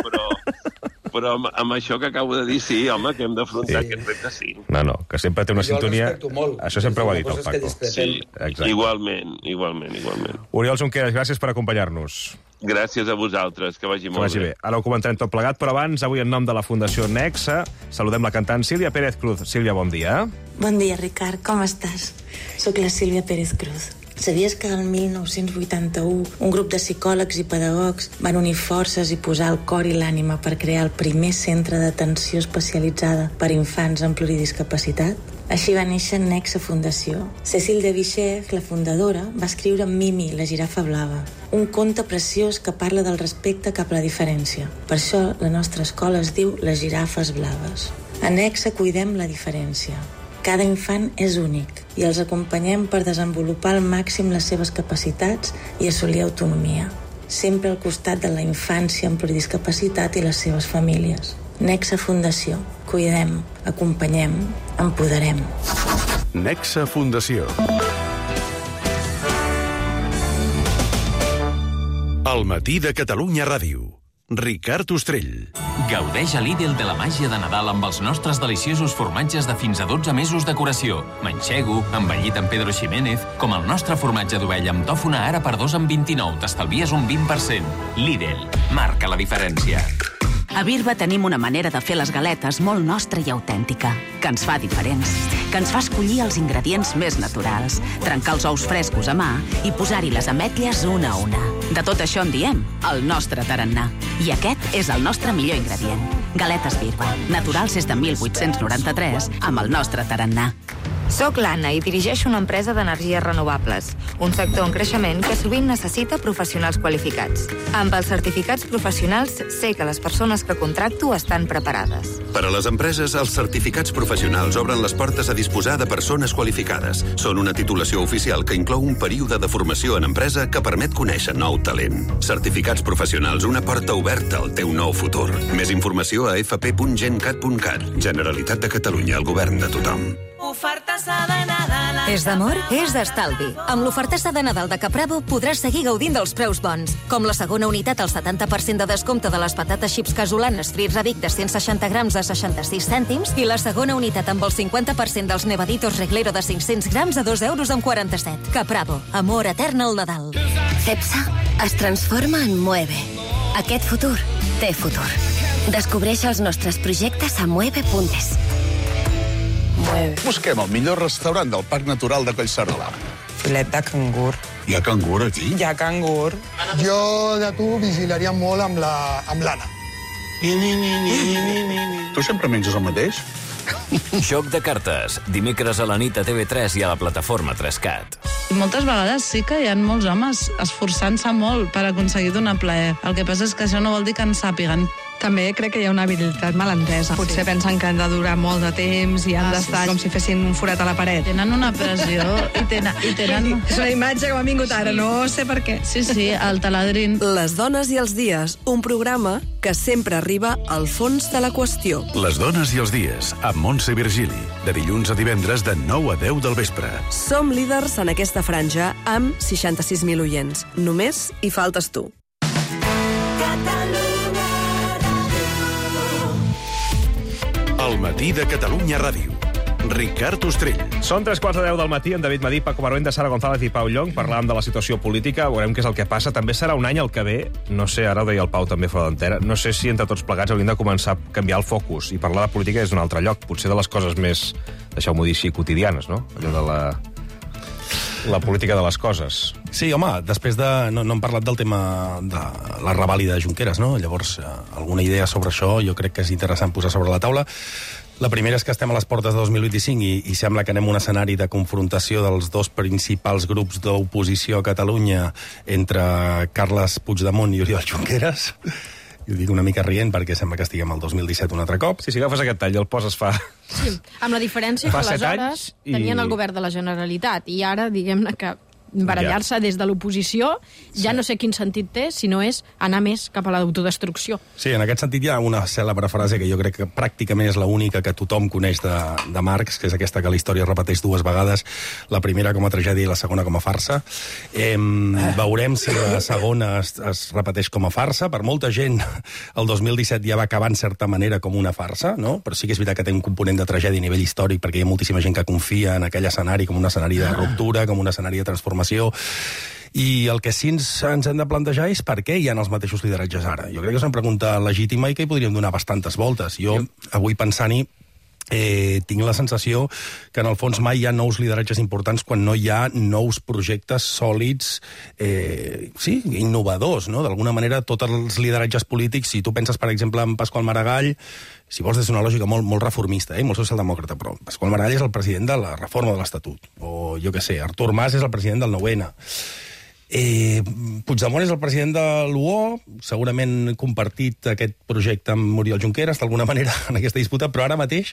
però amb això que acabo de dir, sí, home, que hem d'afrontar aquest repte, sí. No, que sempre té una sintonia... Molt. Això sempre ho ha dit el Paco. Sí, igualment. Oriol Junqueras, gràcies per acompanyar-nos. Gràcies a vosaltres, que vagi molt bé. Ara ho comentarem tot plegat, però abans, avui en nom de la Fundació Nexe, saludem la cantant Sílvia Pérez Cruz. Sílvia, bon dia. Bon dia, Ricard, com estàs? Soc la Sílvia Pérez Cruz. Sabies que el 1981 un grup de psicòlegs i pedagogs van unir forces i posar el cor i l'ànima per crear el primer centre d'atenció especialitzada per infants amb pluridiscapacitat? Així va néixer Nexe Fundació. Cécile de Vichy, la fundadora, va escriure Mimi, la girafa blava, un conte preciós que parla del respecte cap a la diferència. Per això la nostra escola es diu Les Girafes Blaves. A Nexe cuidem la diferència. Cada infant és únic i els acompanyem per desenvolupar al màxim les seves capacitats i assolir autonomia. Sempre al costat de la infància amb pluridiscapacitat i les seves famílies. Nexe Fundació. Cuidem, acompanyem, empoderem. Nexe Fundació. El matí de Catalunya Ràdio. Ricard Ostrell. Gaudeix a Lidl de la màgia de Nadal amb els nostres deliciosos formatges de fins a 12 mesos de curació. Manxego, envellit amb Pedro Ximénez, com el nostre formatge d'ovella amb tòfona ara per 2 en 29. T'estalvies un 20%. Lidl. Marca la diferència. A Birba tenim una manera de fer les galetes molt nostra i autèntica, que ens fa diferents, que ens fa escollir els ingredients més naturals, trencar els ous frescos a mà i posar-hi les ametlles una a una. De tot això en diem el nostre tarannà. I aquest és el nostre millor ingredient. Galetes Birba, naturals des de 1893, amb el nostre tarannà. Soc l'Anna i dirigeixo una empresa d'energies renovables, un sector en creixement que sovint necessita professionals qualificats. Amb els certificats professionals sé que les persones que contracto estan preparades. Per a les empreses, els certificats professionals obren les portes a disposar de persones qualificades. Són una titulació oficial que inclou un període de formació en empresa que permet conèixer nou talent. Certificats professionals, una porta oberta al teu nou futur. Més informació a fp.gencat.cat. Generalitat de Catalunya, el govern de tothom. És d'amor? És d'estalvi. Amb l'ofertassa de Nadal de Capravo podràs seguir gaudint dels preus bons, com la segona unitat al 70% de descompte de les patates xips casolanes Frits Revic de 160 grams a 66 cèntims i la segona unitat amb el 50% dels Nevaditos Reglero de 500 grams a 2,47 €. Capravo. Amor etern al Nadal. Cepsa, es transforma en Mueve. Aquest futur té futur. Descobreix els nostres projectes a mueve.es. Busquem el millor restaurant del Parc Natural de Collserola. Filet de cangur. Hi ha cangur aquí? Hi ha cangur. Jo de tu vigilaria molt amb l'Anna. Tu sempre menges el mateix? Joc de cartes. Dimecres a la nit a TV3 i a la plataforma 3Cat. Moltes vegades sí que hi ha molts homes esforçant-se molt per aconseguir donar plaer. El que passa és que això no vol dir que en sàpiguen. També crec que hi ha una habilitat malentesa. Potser pensen que han de durar molt de temps i han d'estar com si fessin un forat a la paret. Tenen una pressió i tenen... És una imatge que m'ha vingut ara, no sé per què. Sí, el taladrín. Les dones i els dies, un programa que sempre arriba al fons de la qüestió. Les dones i els dies, amb Montse Virgili, de dilluns a divendres de 9 a 10 del vespre. Som líders en aquesta franja amb 66.000 oients. Només hi faltes tu. El matí de Catalunya Ràdio. Ricard Ostrell. Són 3:15 del matí, en David Madí, Paco Maruenda, Sara González i Pau Llong. Parlàvem de la situació política, veurem què és el que passa. També serà un any el que ve, no sé, ara ho deia el Pau també fora d'antena, no sé si entre tots plegats hauríem de començar a canviar el focus i parlar de política des d'un altre lloc, potser de les coses més, deixeu-m'ho dir així, quotidianes, no? Allò de la política de les coses. Sí, home, després de... No hem parlat del tema de la revàlida de Junqueras, no? Llavors, alguna idea sobre això jo crec que és interessant posar sobre la taula. La primera és que estem a les portes de 2025 i sembla que anem a un escenari de confrontació dels dos principals grups d'oposició a Catalunya entre Carles Puigdemont i Oriol Junqueras. Jo dic una mica rient perquè sembla que estiguem al 2017 un altre cop. Sí, si agafes aquest tall i el poses fa... Sí, amb la diferència que aleshores tenien el govern de la Generalitat i ara, diguem-ne que barallar-se des de l'oposició, ja no sé quin sentit té, si no és anar més cap a l'autodestrucció. Sí, en aquest sentit hi ha una cèlebre frase que jo crec que pràcticament és l'única que tothom coneix de Marx, que és aquesta que la història repeteix dues vegades, la primera com a tragèdia i la segona com a farsa. Veurem si la segona es repeteix com a farsa. Per molta gent, el 2017 ja va acabar en certa manera com una farsa, no? Però sí que és veritat que té un component de tragèdia a nivell històric, perquè hi ha moltíssima gent que confia en aquell escenari com un escenari de ruptura, com un escenari de transformació. I el que sí ens hem de plantejar és per què hi ha els mateixos lideratges ara. Jo crec que és una pregunta legítima i que hi podríem donar bastantes voltes. Jo, avui pensant-hi, tinc la sensació que en el fons mai hi ha nous lideratges importants quan no hi ha nous projectes sòlids, innovadors, no? D'alguna manera, tots els lideratges polítics, si tu penses, per exemple, en Pasqual Maragall, si vols, des d'una lògica molt reformista, molt socialdemòcrata, però Pasqual Maragall és el president de la reforma de l'Estatut. O, jo què sé, Artur Mas és el president del 9-N. Puigdemont és el president de l'UO, segurament compartit aquest projecte amb Oriol Junqueras, d'alguna manera, en aquesta disputa, però ara mateix,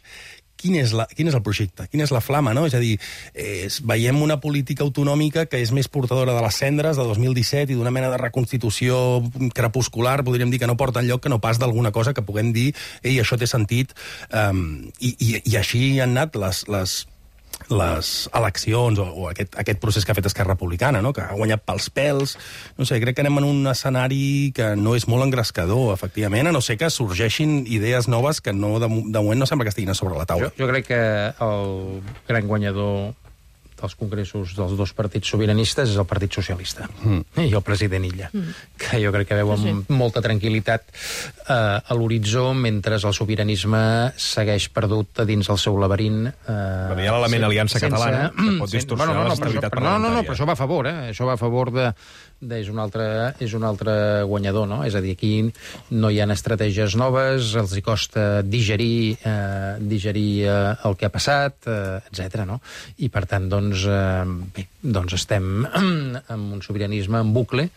quin és el projecte? Quina és la flama, no? És a dir, veiem una política autonòmica que és més portadora de les cendres de 2017 i d'una mena de reconstitució crepuscular, podríem dir que no porta enlloc, que no pas d'alguna cosa que puguem dir ei, això té sentit, i així han anat les eleccions o aquest procés que ha fet Esquerra Republicana, no? Que ha guanyat pels pèls. No sé, crec que anem en un escenari que no és molt engrescador, efectivament, a no ser que sorgeixin idees noves que no, de moment no sembla que estiguin a sobre la taula. Jo crec que el gran guanyador dels congressos dels dos partits sobiranistes és el Partit Socialista i el president Illa, que jo crec que veu amb molta tranquil·litat a l'horitzó, mentre el sobiranisme segueix perdut a dins el seu laberint. Hi ha l'element aliança catalana, que pot distorsionar l'estabilitat parlamentària. No, però això va a favor, això va a favor és un altre guanyador, no? És a dir, aquí no hi ha estratègies noves, els hi costa digerir el que ha passat, etc. no? I, per tant, doncs estem amb un sobiranisme en bucle,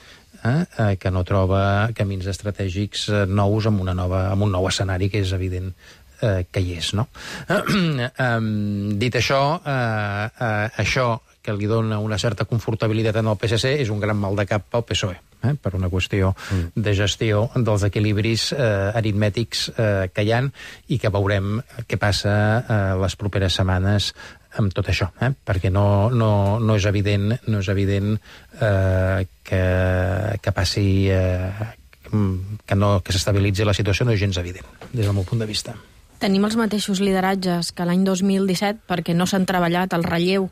que no troba camins estratègics nous amb un nou escenari que és evident que hi és, no? Dit això, això que li dona una certa confortabilitat en el PSC és un gran mal de cap pel PSOE, per una qüestió de gestió dels equilibris aritmètics que hi ha i que veurem què passa les properes setmanes amb tot això, perquè no és evident que passi que s'estabilitzi la situació, no és gens evident, des del meu punt de vista. Tenim els mateixos lideratges que l'any 2017 perquè no s'han treballat el relleu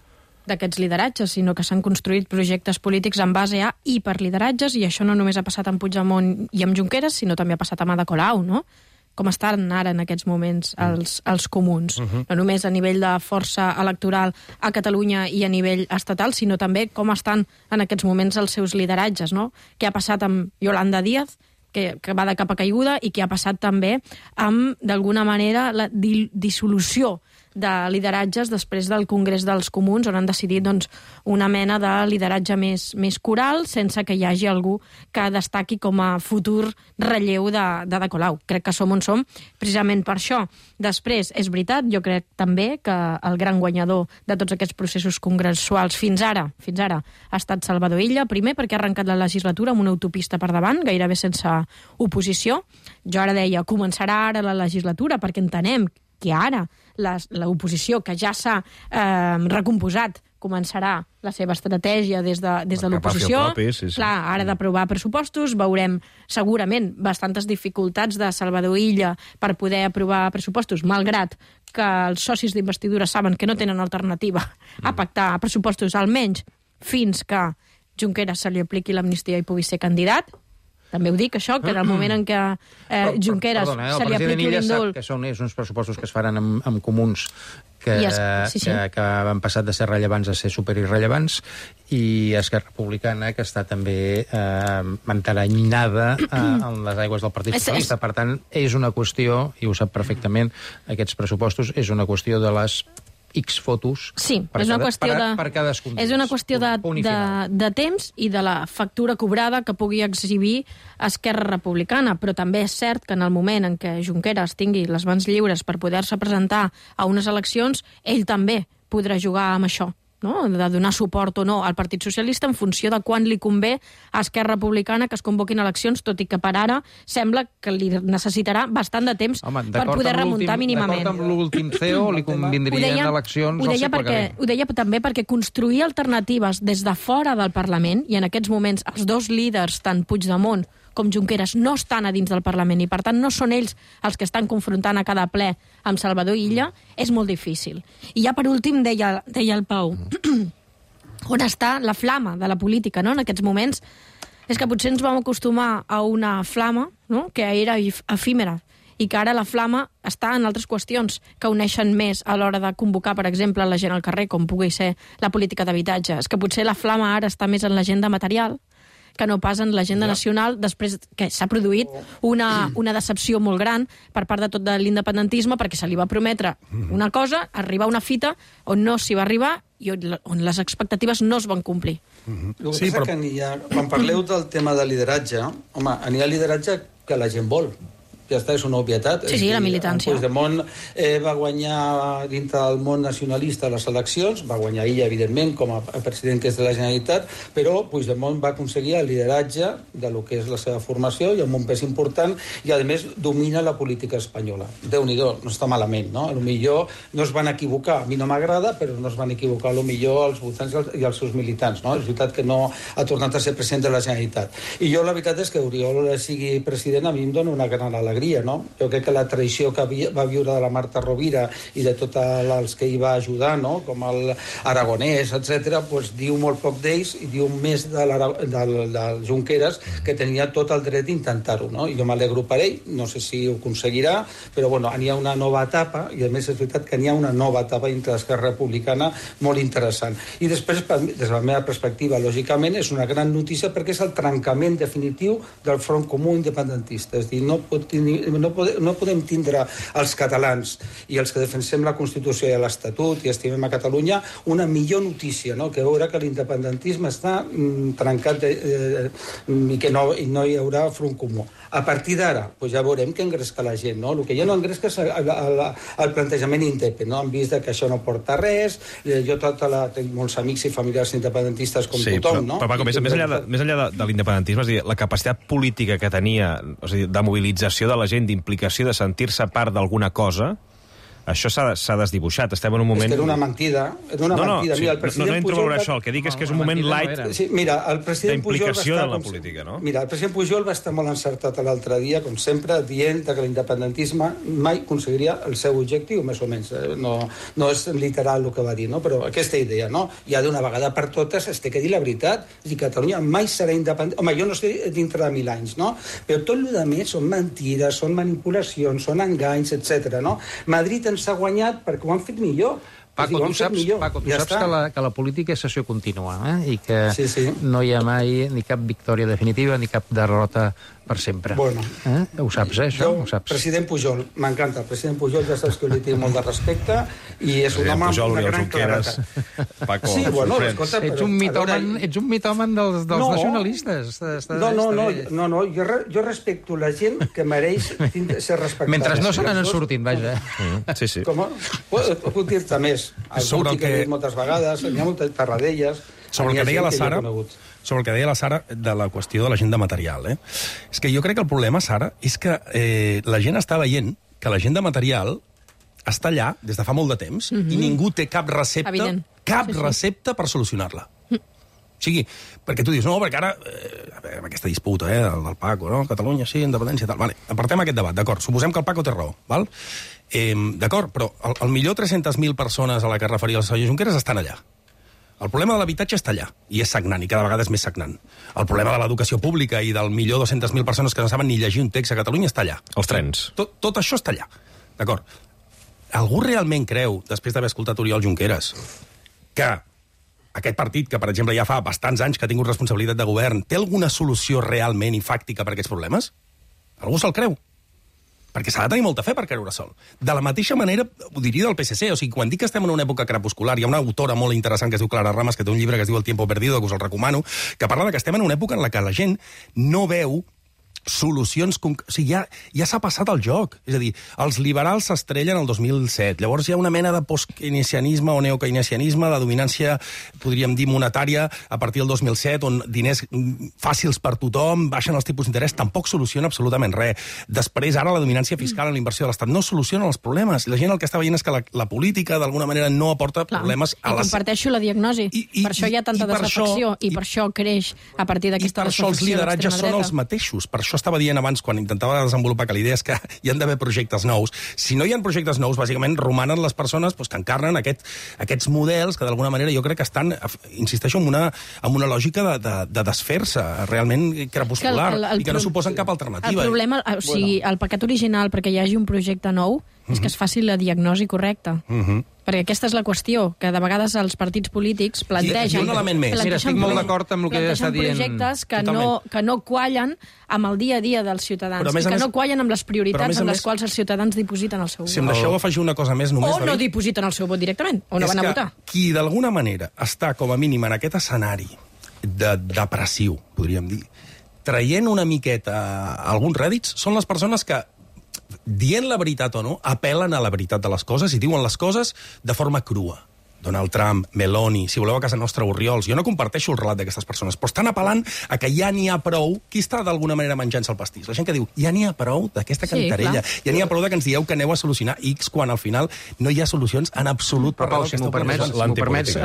d'aquests lideratges, sinó que s'han construït projectes polítics en base a i per lideratges, i això no només ha passat amb Puigdemont i amb Junqueras, sinó també ha passat amb Ada Colau, no? Com estan ara en aquests moments els comuns. No només a nivell de força electoral a Catalunya i a nivell estatal, sinó també com estan en aquests moments els seus lideratges, no? Què ha passat amb Yolanda Díaz, que va de capa caiguda, i què ha passat també amb, d'alguna manera, la dissolució de lideratges després del Congrés dels Comuns, on han decidit doncs, una mena de lideratge més coral, sense que hi hagi algú que destaqui com a futur relleu d'Ada Colau. Crec que som on som precisament per això. Després, és veritat, jo crec també que el gran guanyador de tots aquests processos congressuals fins ara ha estat Salvador Illa, primer perquè ha arrencat la legislatura amb una autopista per davant, gairebé sense oposició. Jo ara deia, començarà ara la legislatura, perquè entenem que ara l'oposició, que ja s'ha recomposat, començarà la seva estratègia des de l'oposició. Clar, ara d'aprovar pressupostos, veurem segurament bastantes dificultats de Salvador Illa per poder aprovar pressupostos, malgrat que els socis d'investidura saben que no tenen alternativa a pactar pressupostos, almenys fins que Junqueras se li apliqui l'amnistia i pugui ser candidat. També ho dic, això, que en el moment en què Junqueras se li apliqui l'indult... El president Illa sap que són uns pressupostos que es faran amb comuns que han passat de ser rellevants a ser superirrellevants, i Esquerra Republicana, que està també enteranyinada en les aigües del Partit Socialista. Per tant, és una qüestió, i ho sap perfectament, aquests pressupostos, és una qüestió de les X fotos per cadascun. És una qüestió de temps i de la factura cobrada que pugui exhibir Esquerra Republicana, però també és cert que en el moment en què Junqueras tingui les mans lliures per poder-se presentar a unes eleccions, ell també podrà jugar amb això, no? De donar suport o no al Partit Socialista en funció de quan li convé a Esquerra Republicana que es convoquin eleccions, tot i que per ara sembla que li necessitarà bastant de temps per poder remuntar mínimament. D'acord amb l'últim CEO li convindrien eleccions al segle que ve. Ho deia també perquè construir alternatives des de fora del Parlament, i en aquests moments els dos líders, tant Puigdemont com Junqueras, no estan a dins del Parlament i, per tant, no són ells els que estan confrontant a cada ple amb Salvador Illa, és molt difícil. I ja per últim deia el Pau, on està la flama de la política, no?, en aquests moments? És que potser ens vam acostumar a una flama, no?, que era efímera, i que ara la flama està en altres qüestions que uneixen més a l'hora de convocar, per exemple, la gent al carrer, com pugui ser la política d'habitatge. És que potser la flama ara està més en l'agenda material que no pas en l'agenda nacional, després que s'ha produït una decepció molt gran per part de tot de l'independentisme, perquè se li va prometre una cosa, arribar a una fita on no s'hi va arribar i on les expectatives no es van complir. El que passa que quan parleu del tema de lideratge, home, n'hi ha lideratge que la gent vol. Ja està, és una obvietat. Sí, la militància. Puigdemont va guanyar dintre del món nacionalista les eleccions, va guanyar ella, evidentment, com a president que és de la Generalitat, però Puigdemont va aconseguir el lideratge de lo que és la seva formació i amb un pes important, i a més domina la política espanyola. Déu-n'hi-do, no està malament, no? A lo millor no es van equivocar, a mi no m'agrada, però no es van equivocar a lo millor els votants i els seus militants, no? És veritat que no ha tornat a ser president de la Generalitat. I jo la veritat és que Oriol sigui president a mi em dona una gran alegria, no? Jo crec que la traïció que va viure de la Marta Rovira i de tots els que hi va ajudar, no?, com el Aragonès, etc., pues, diu molt poc d'ells i diu més del Junqueras, que tenia tot el dret d'intentar-ho, no? I jo m'alegro per ell, no sé si ho aconseguirà, però bueno, n'hi ha una nova etapa, i a més és veritat que n'hi ha una nova etapa dintre l'Esquerra Republicana molt interessant. I després, des de la meva perspectiva, lògicament, és una gran notícia perquè és el trencament definitiu del Front Comú Independentista. És a dir, no podem tindre els catalans i els que defensem la Constitució i l'Estatut i estimem a Catalunya una millor notícia, no?, que veure que l'independentisme està trencat i que no hi haurà front comú. A partir d'ara, pues ja veurem què engresca la gent, no? El que ja no engresca és el plantejament independent, no? Han vist que això no porta res, jo tinc molts amics i familiars independentistes com tothom, no? Però, Paco, més enllà de l'independentisme, és a dir, la capacitat política que tenia, de mobilització de la gent, d'implicació, de sentir-se part d'alguna cosa, això s'ha desdibuixat. Estem en un moment... És que era una mentida. No entro a veure això. El que dic és que és un moment light d'implicació de la política, no? Mira, el president Pujol va estar molt encertat l'altre dia, com sempre, dient que l'independentisme mai aconseguiria el seu objectiu, més o menys. No és literal el que va dir, no? Però aquesta idea, no? Ja d'una vegada per totes es té que dir la veritat. És dir, Catalunya mai serà independent. Home, jo no sé dintre de 1000 anys, no? Però tot el que més són mentides, són manipulacions, són enganys, etc. No? Madrid ens ha guanyat perquè ho han fet millor. Paco, tu saps que la política és sessió contínua, i que no hi ha mai ni cap victòria definitiva ni cap derrota per sempre. Bueno. Ho saps, això? Ho saps. President Pujol, m'encanta. El president Pujol ja saps que li tinc molt de respecte i és un home amb una gran claredat. Paco, sí, bueno, escolta, ets un mitomen dels nacionalistes. No, jo respecto la gent que mereix ser respectada. Mentre no se n'han sortit, vaja. Sí. Com? Puc dir-te més. Algú que he dit moltes vegades, hi ha moltes parradelles. Sobre el que deia la Sara de la qüestió de l'agenda material. És que jo crec que el problema, Sara, és que la gent està veient que l'agenda material està allà des de fa molt de temps i ningú té cap recepta per solucionar-la. O sigui, perquè tu dius, no, perquè ara, amb aquesta disputa del Paco, no? Catalunya, sí, independència, tal. Vale, apartem aquest debat, d'acord. Suposem que el Paco té raó, val? D'acord, però al millor 300.000 persones a la que es referia el senyor Junqueras estan allà. El problema de l'habitatge està allà, i és sagnant, i cada vegada és més sagnant. El problema de l'educació pública i del millor 200.000 persones que no saben ni llegir un text a Catalunya està allà. Els trens. Tot això està allà, d'acord? Algú realment creu, després d'haver escoltat Oriol Junqueras, que aquest partit, que per exemple ja fa bastants anys que ha tingut responsabilitat de govern, té alguna solució realment i fàctica per a aquests problemes? Algú se'l creu? Perquè s'ha de tenir molta fe per creure sol. De la mateixa manera, ho diria del PSC, o sigui, quan dic que estem en una època crepuscular, hi ha una autora molt interessant que es diu Clara Ramas, que té un llibre que es diu El tiempo perdido, que us el recomano, que parla de que estem en una època en la que la gent no veu solucions... O sigui, ja s'ha passat el joc. És a dir, els liberals s'estrellen el 2007. Llavors hi ha una mena de post-keynesianisme o neokeynesianisme, de dominància, podríem dir, monetària, a partir del 2007, on diners fàcils per tothom, baixen els tipus d'interès, tampoc soluciona absolutament res. Després, ara, la dominància fiscal en la inversió de l'Estat no soluciona els problemes. La gent el que està veient és que la política, d'alguna manera, no aporta problemes a les... I comparteixo la diagnosi. Per això hi ha tanta desafecció i per això creix a partir d'aquesta desafecció. I per això els lideratges són els mateixos. Per això estava dient abans, quan intentava desenvolupar que l'idea és que hi han d'haver projectes nous. Si no hi ha projectes nous, bàsicament romanen les persones que encarnen aquests models que d'alguna manera jo crec que estan, insisteixo, en una lògica de desfer-se realment crepuscular i que no suposen cap alternativa. El problema, o sigui, el pecat original perquè hi hagi un projecte nou és que es faci la diagnosi correcta. Perquè aquesta és la qüestió, que de vegades els partits polítics plantegen... I un element més. Mira, estic molt d'acord amb el que està dient. Projectes que no quallen amb el dia a dia dels ciutadans i que no quallen amb les prioritats en les quals els ciutadans dipositen el seu vot. Si em deixeu afegir una cosa més només... O no dipositen el seu vot directament, o no van a votar. És que qui d'alguna manera està com a mínim en aquest escenari depressiu, podríem dir, traient una miqueta alguns rèdits, són les persones que dient la veritat o no, apel·len a la veritat de les coses i diuen les coses de forma crua. Donald Trump, Meloni, si voleu a casa nostra, Orriols. Jo no comparteixo el relat d'aquestes persones, però estan apel·lant a que ja n'hi ha prou. Qui està d'alguna manera menjant-se el pastís? La gent que diu, ja n'hi ha prou d'aquesta cantarella. Ja n'hi ha prou que ens dieu que aneu a solucionar X quan al final no hi ha solucions en absolut. Però, Pau, si m'ho permets,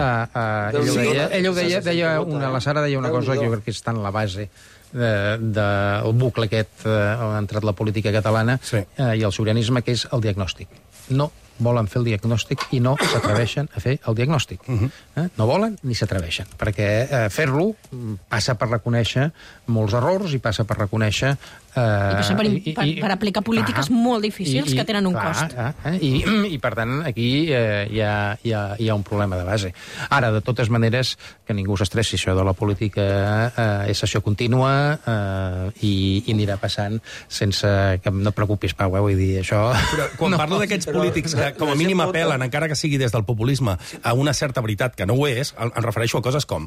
ella la Sara deia una cosa que jo crec que està en la base del bucle aquest on ha entrat la política catalana i el sobiranisme, que és el diagnòstic. No volen fer el diagnòstic i no s'atreveixen a fer el diagnòstic. No volen ni s'atreveixen, perquè fer-lo passa per reconèixer molts errors i passa per reconèixer... I passa per aplicar polítiques molt difícils que tenen un cost. I per tant, aquí hi ha un problema de base. Ara, de totes maneres, que ningú s'estressi, això de la política és sessió contínua i anirà passant sense que no et preocupis, Pau, vull dir, això... Però quan parlo d'aquests polítics que com a mínim apel·len, encara que sigui des del populisme, a una certa veritat que no ho és, em refereixo a coses com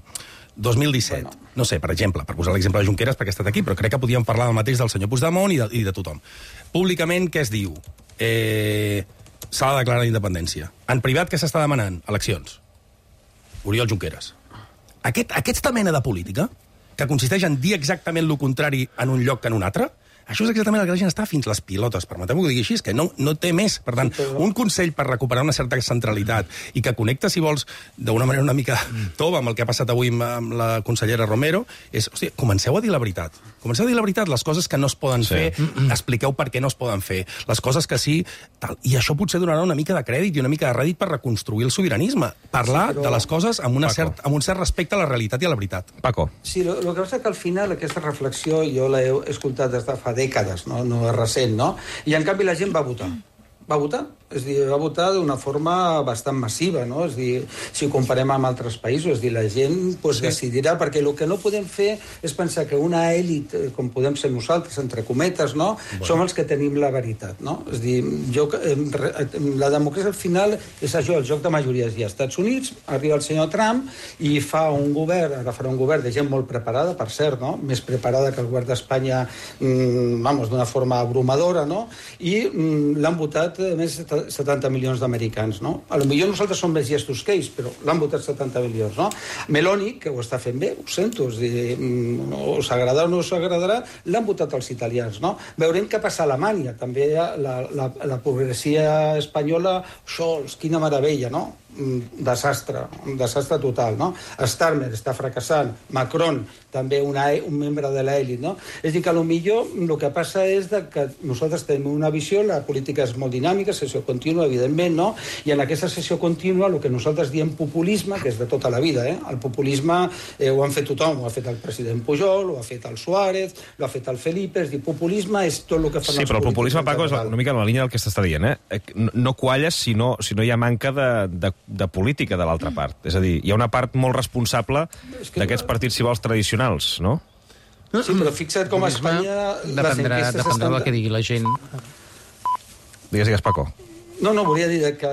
2017, no sé, per exemple, per posar l'exemple de Junqueras perquè ha estat aquí, però crec que podíem parlar del mateix del senyor Puigdemont i de tothom. Públicament, què es diu? S'ha de declarar la independència. En privat, què s'està demanant? Eleccions. Oriol Junqueras. Aquesta mena de política, que consisteix en dir exactament el contrari en un lloc que en un altre, Això és exactament el que la gent està fins les pilotes, permeteu-me que ho digui així, que no té més. Per tant, un consell per recuperar una certa centralitat i que connecta, si vols, d'una manera una mica tova amb el que ha passat avui amb la consellera Romero, és, hòstia, comenceu a dir la veritat. Comenceu a dir la veritat, les coses que no es poden fer, expliqueu per què no es poden fer, les coses que sí, tal. I això potser donarà una mica de crèdit i una mica de rèdit per reconstruir el sobiranisme. Parlar de les coses amb un cert respecte a la realitat i a la veritat. Paco. Sí, el que passa és que al final aquesta reflexió jo l'he escoltat des de fa dècades, no és recent, no? I en canvi la gent va votar. Va votar. És a dir, va votar d'una forma bastant massiva, no? És a dir, si ho comparem amb altres països, és a dir, la gent decidirà, perquè el que no podem fer és pensar que una èlit, com podem ser nosaltres, entre cometes, no? Som els que tenim la veritat, no? És a dir, la democràcia al final és això, el joc de majories. I als Estats Units arriba el senyor Trump i fa un govern, ara farà un govern de gent molt preparada, per cert, no? Més preparada que el govern d'Espanya, d'una forma abrumadora, no? I l'han votat més 70 milions d'americans, no? A lo millor nosaltres som més llestos que ells, però l'han votat 70 milions, no? Meloni, que ho està fent bé, ho sento, és dir, us agradarà o no us agradarà, l'han votat els italians, no? Veurem què passa a Alemanya, també la progressia espanyola, Scholz, quina meravella, no? Un desastre total, no? Starmer està fracassant, Macron, també un membre de l'elit, no? És a dir, que potser el que passa és que nosaltres tenim una visió, la política és molt dinàmica, sessió contínua, evidentment, no? I en aquesta sessió contínua, el que nosaltres diem populisme, que és de tota la vida, el populisme ho han fet tothom, ho ha fet el president Pujol, ho ha fet el Suárez, ho ha fet el Felipe, és dir, populisme és tot el que fan els polítics. Sí, però el populisme, Paco, és una mica en la línia del que s'està dient, No qualles si no hi ha manca de política de l'altra part. És a dir, hi ha una part molt responsable d'aquests partits, si vols, tradicionals, no? Sí, però fixa't com a Espanya... Dependrà del que digui la gent. Digues, Paco. No, volia dir que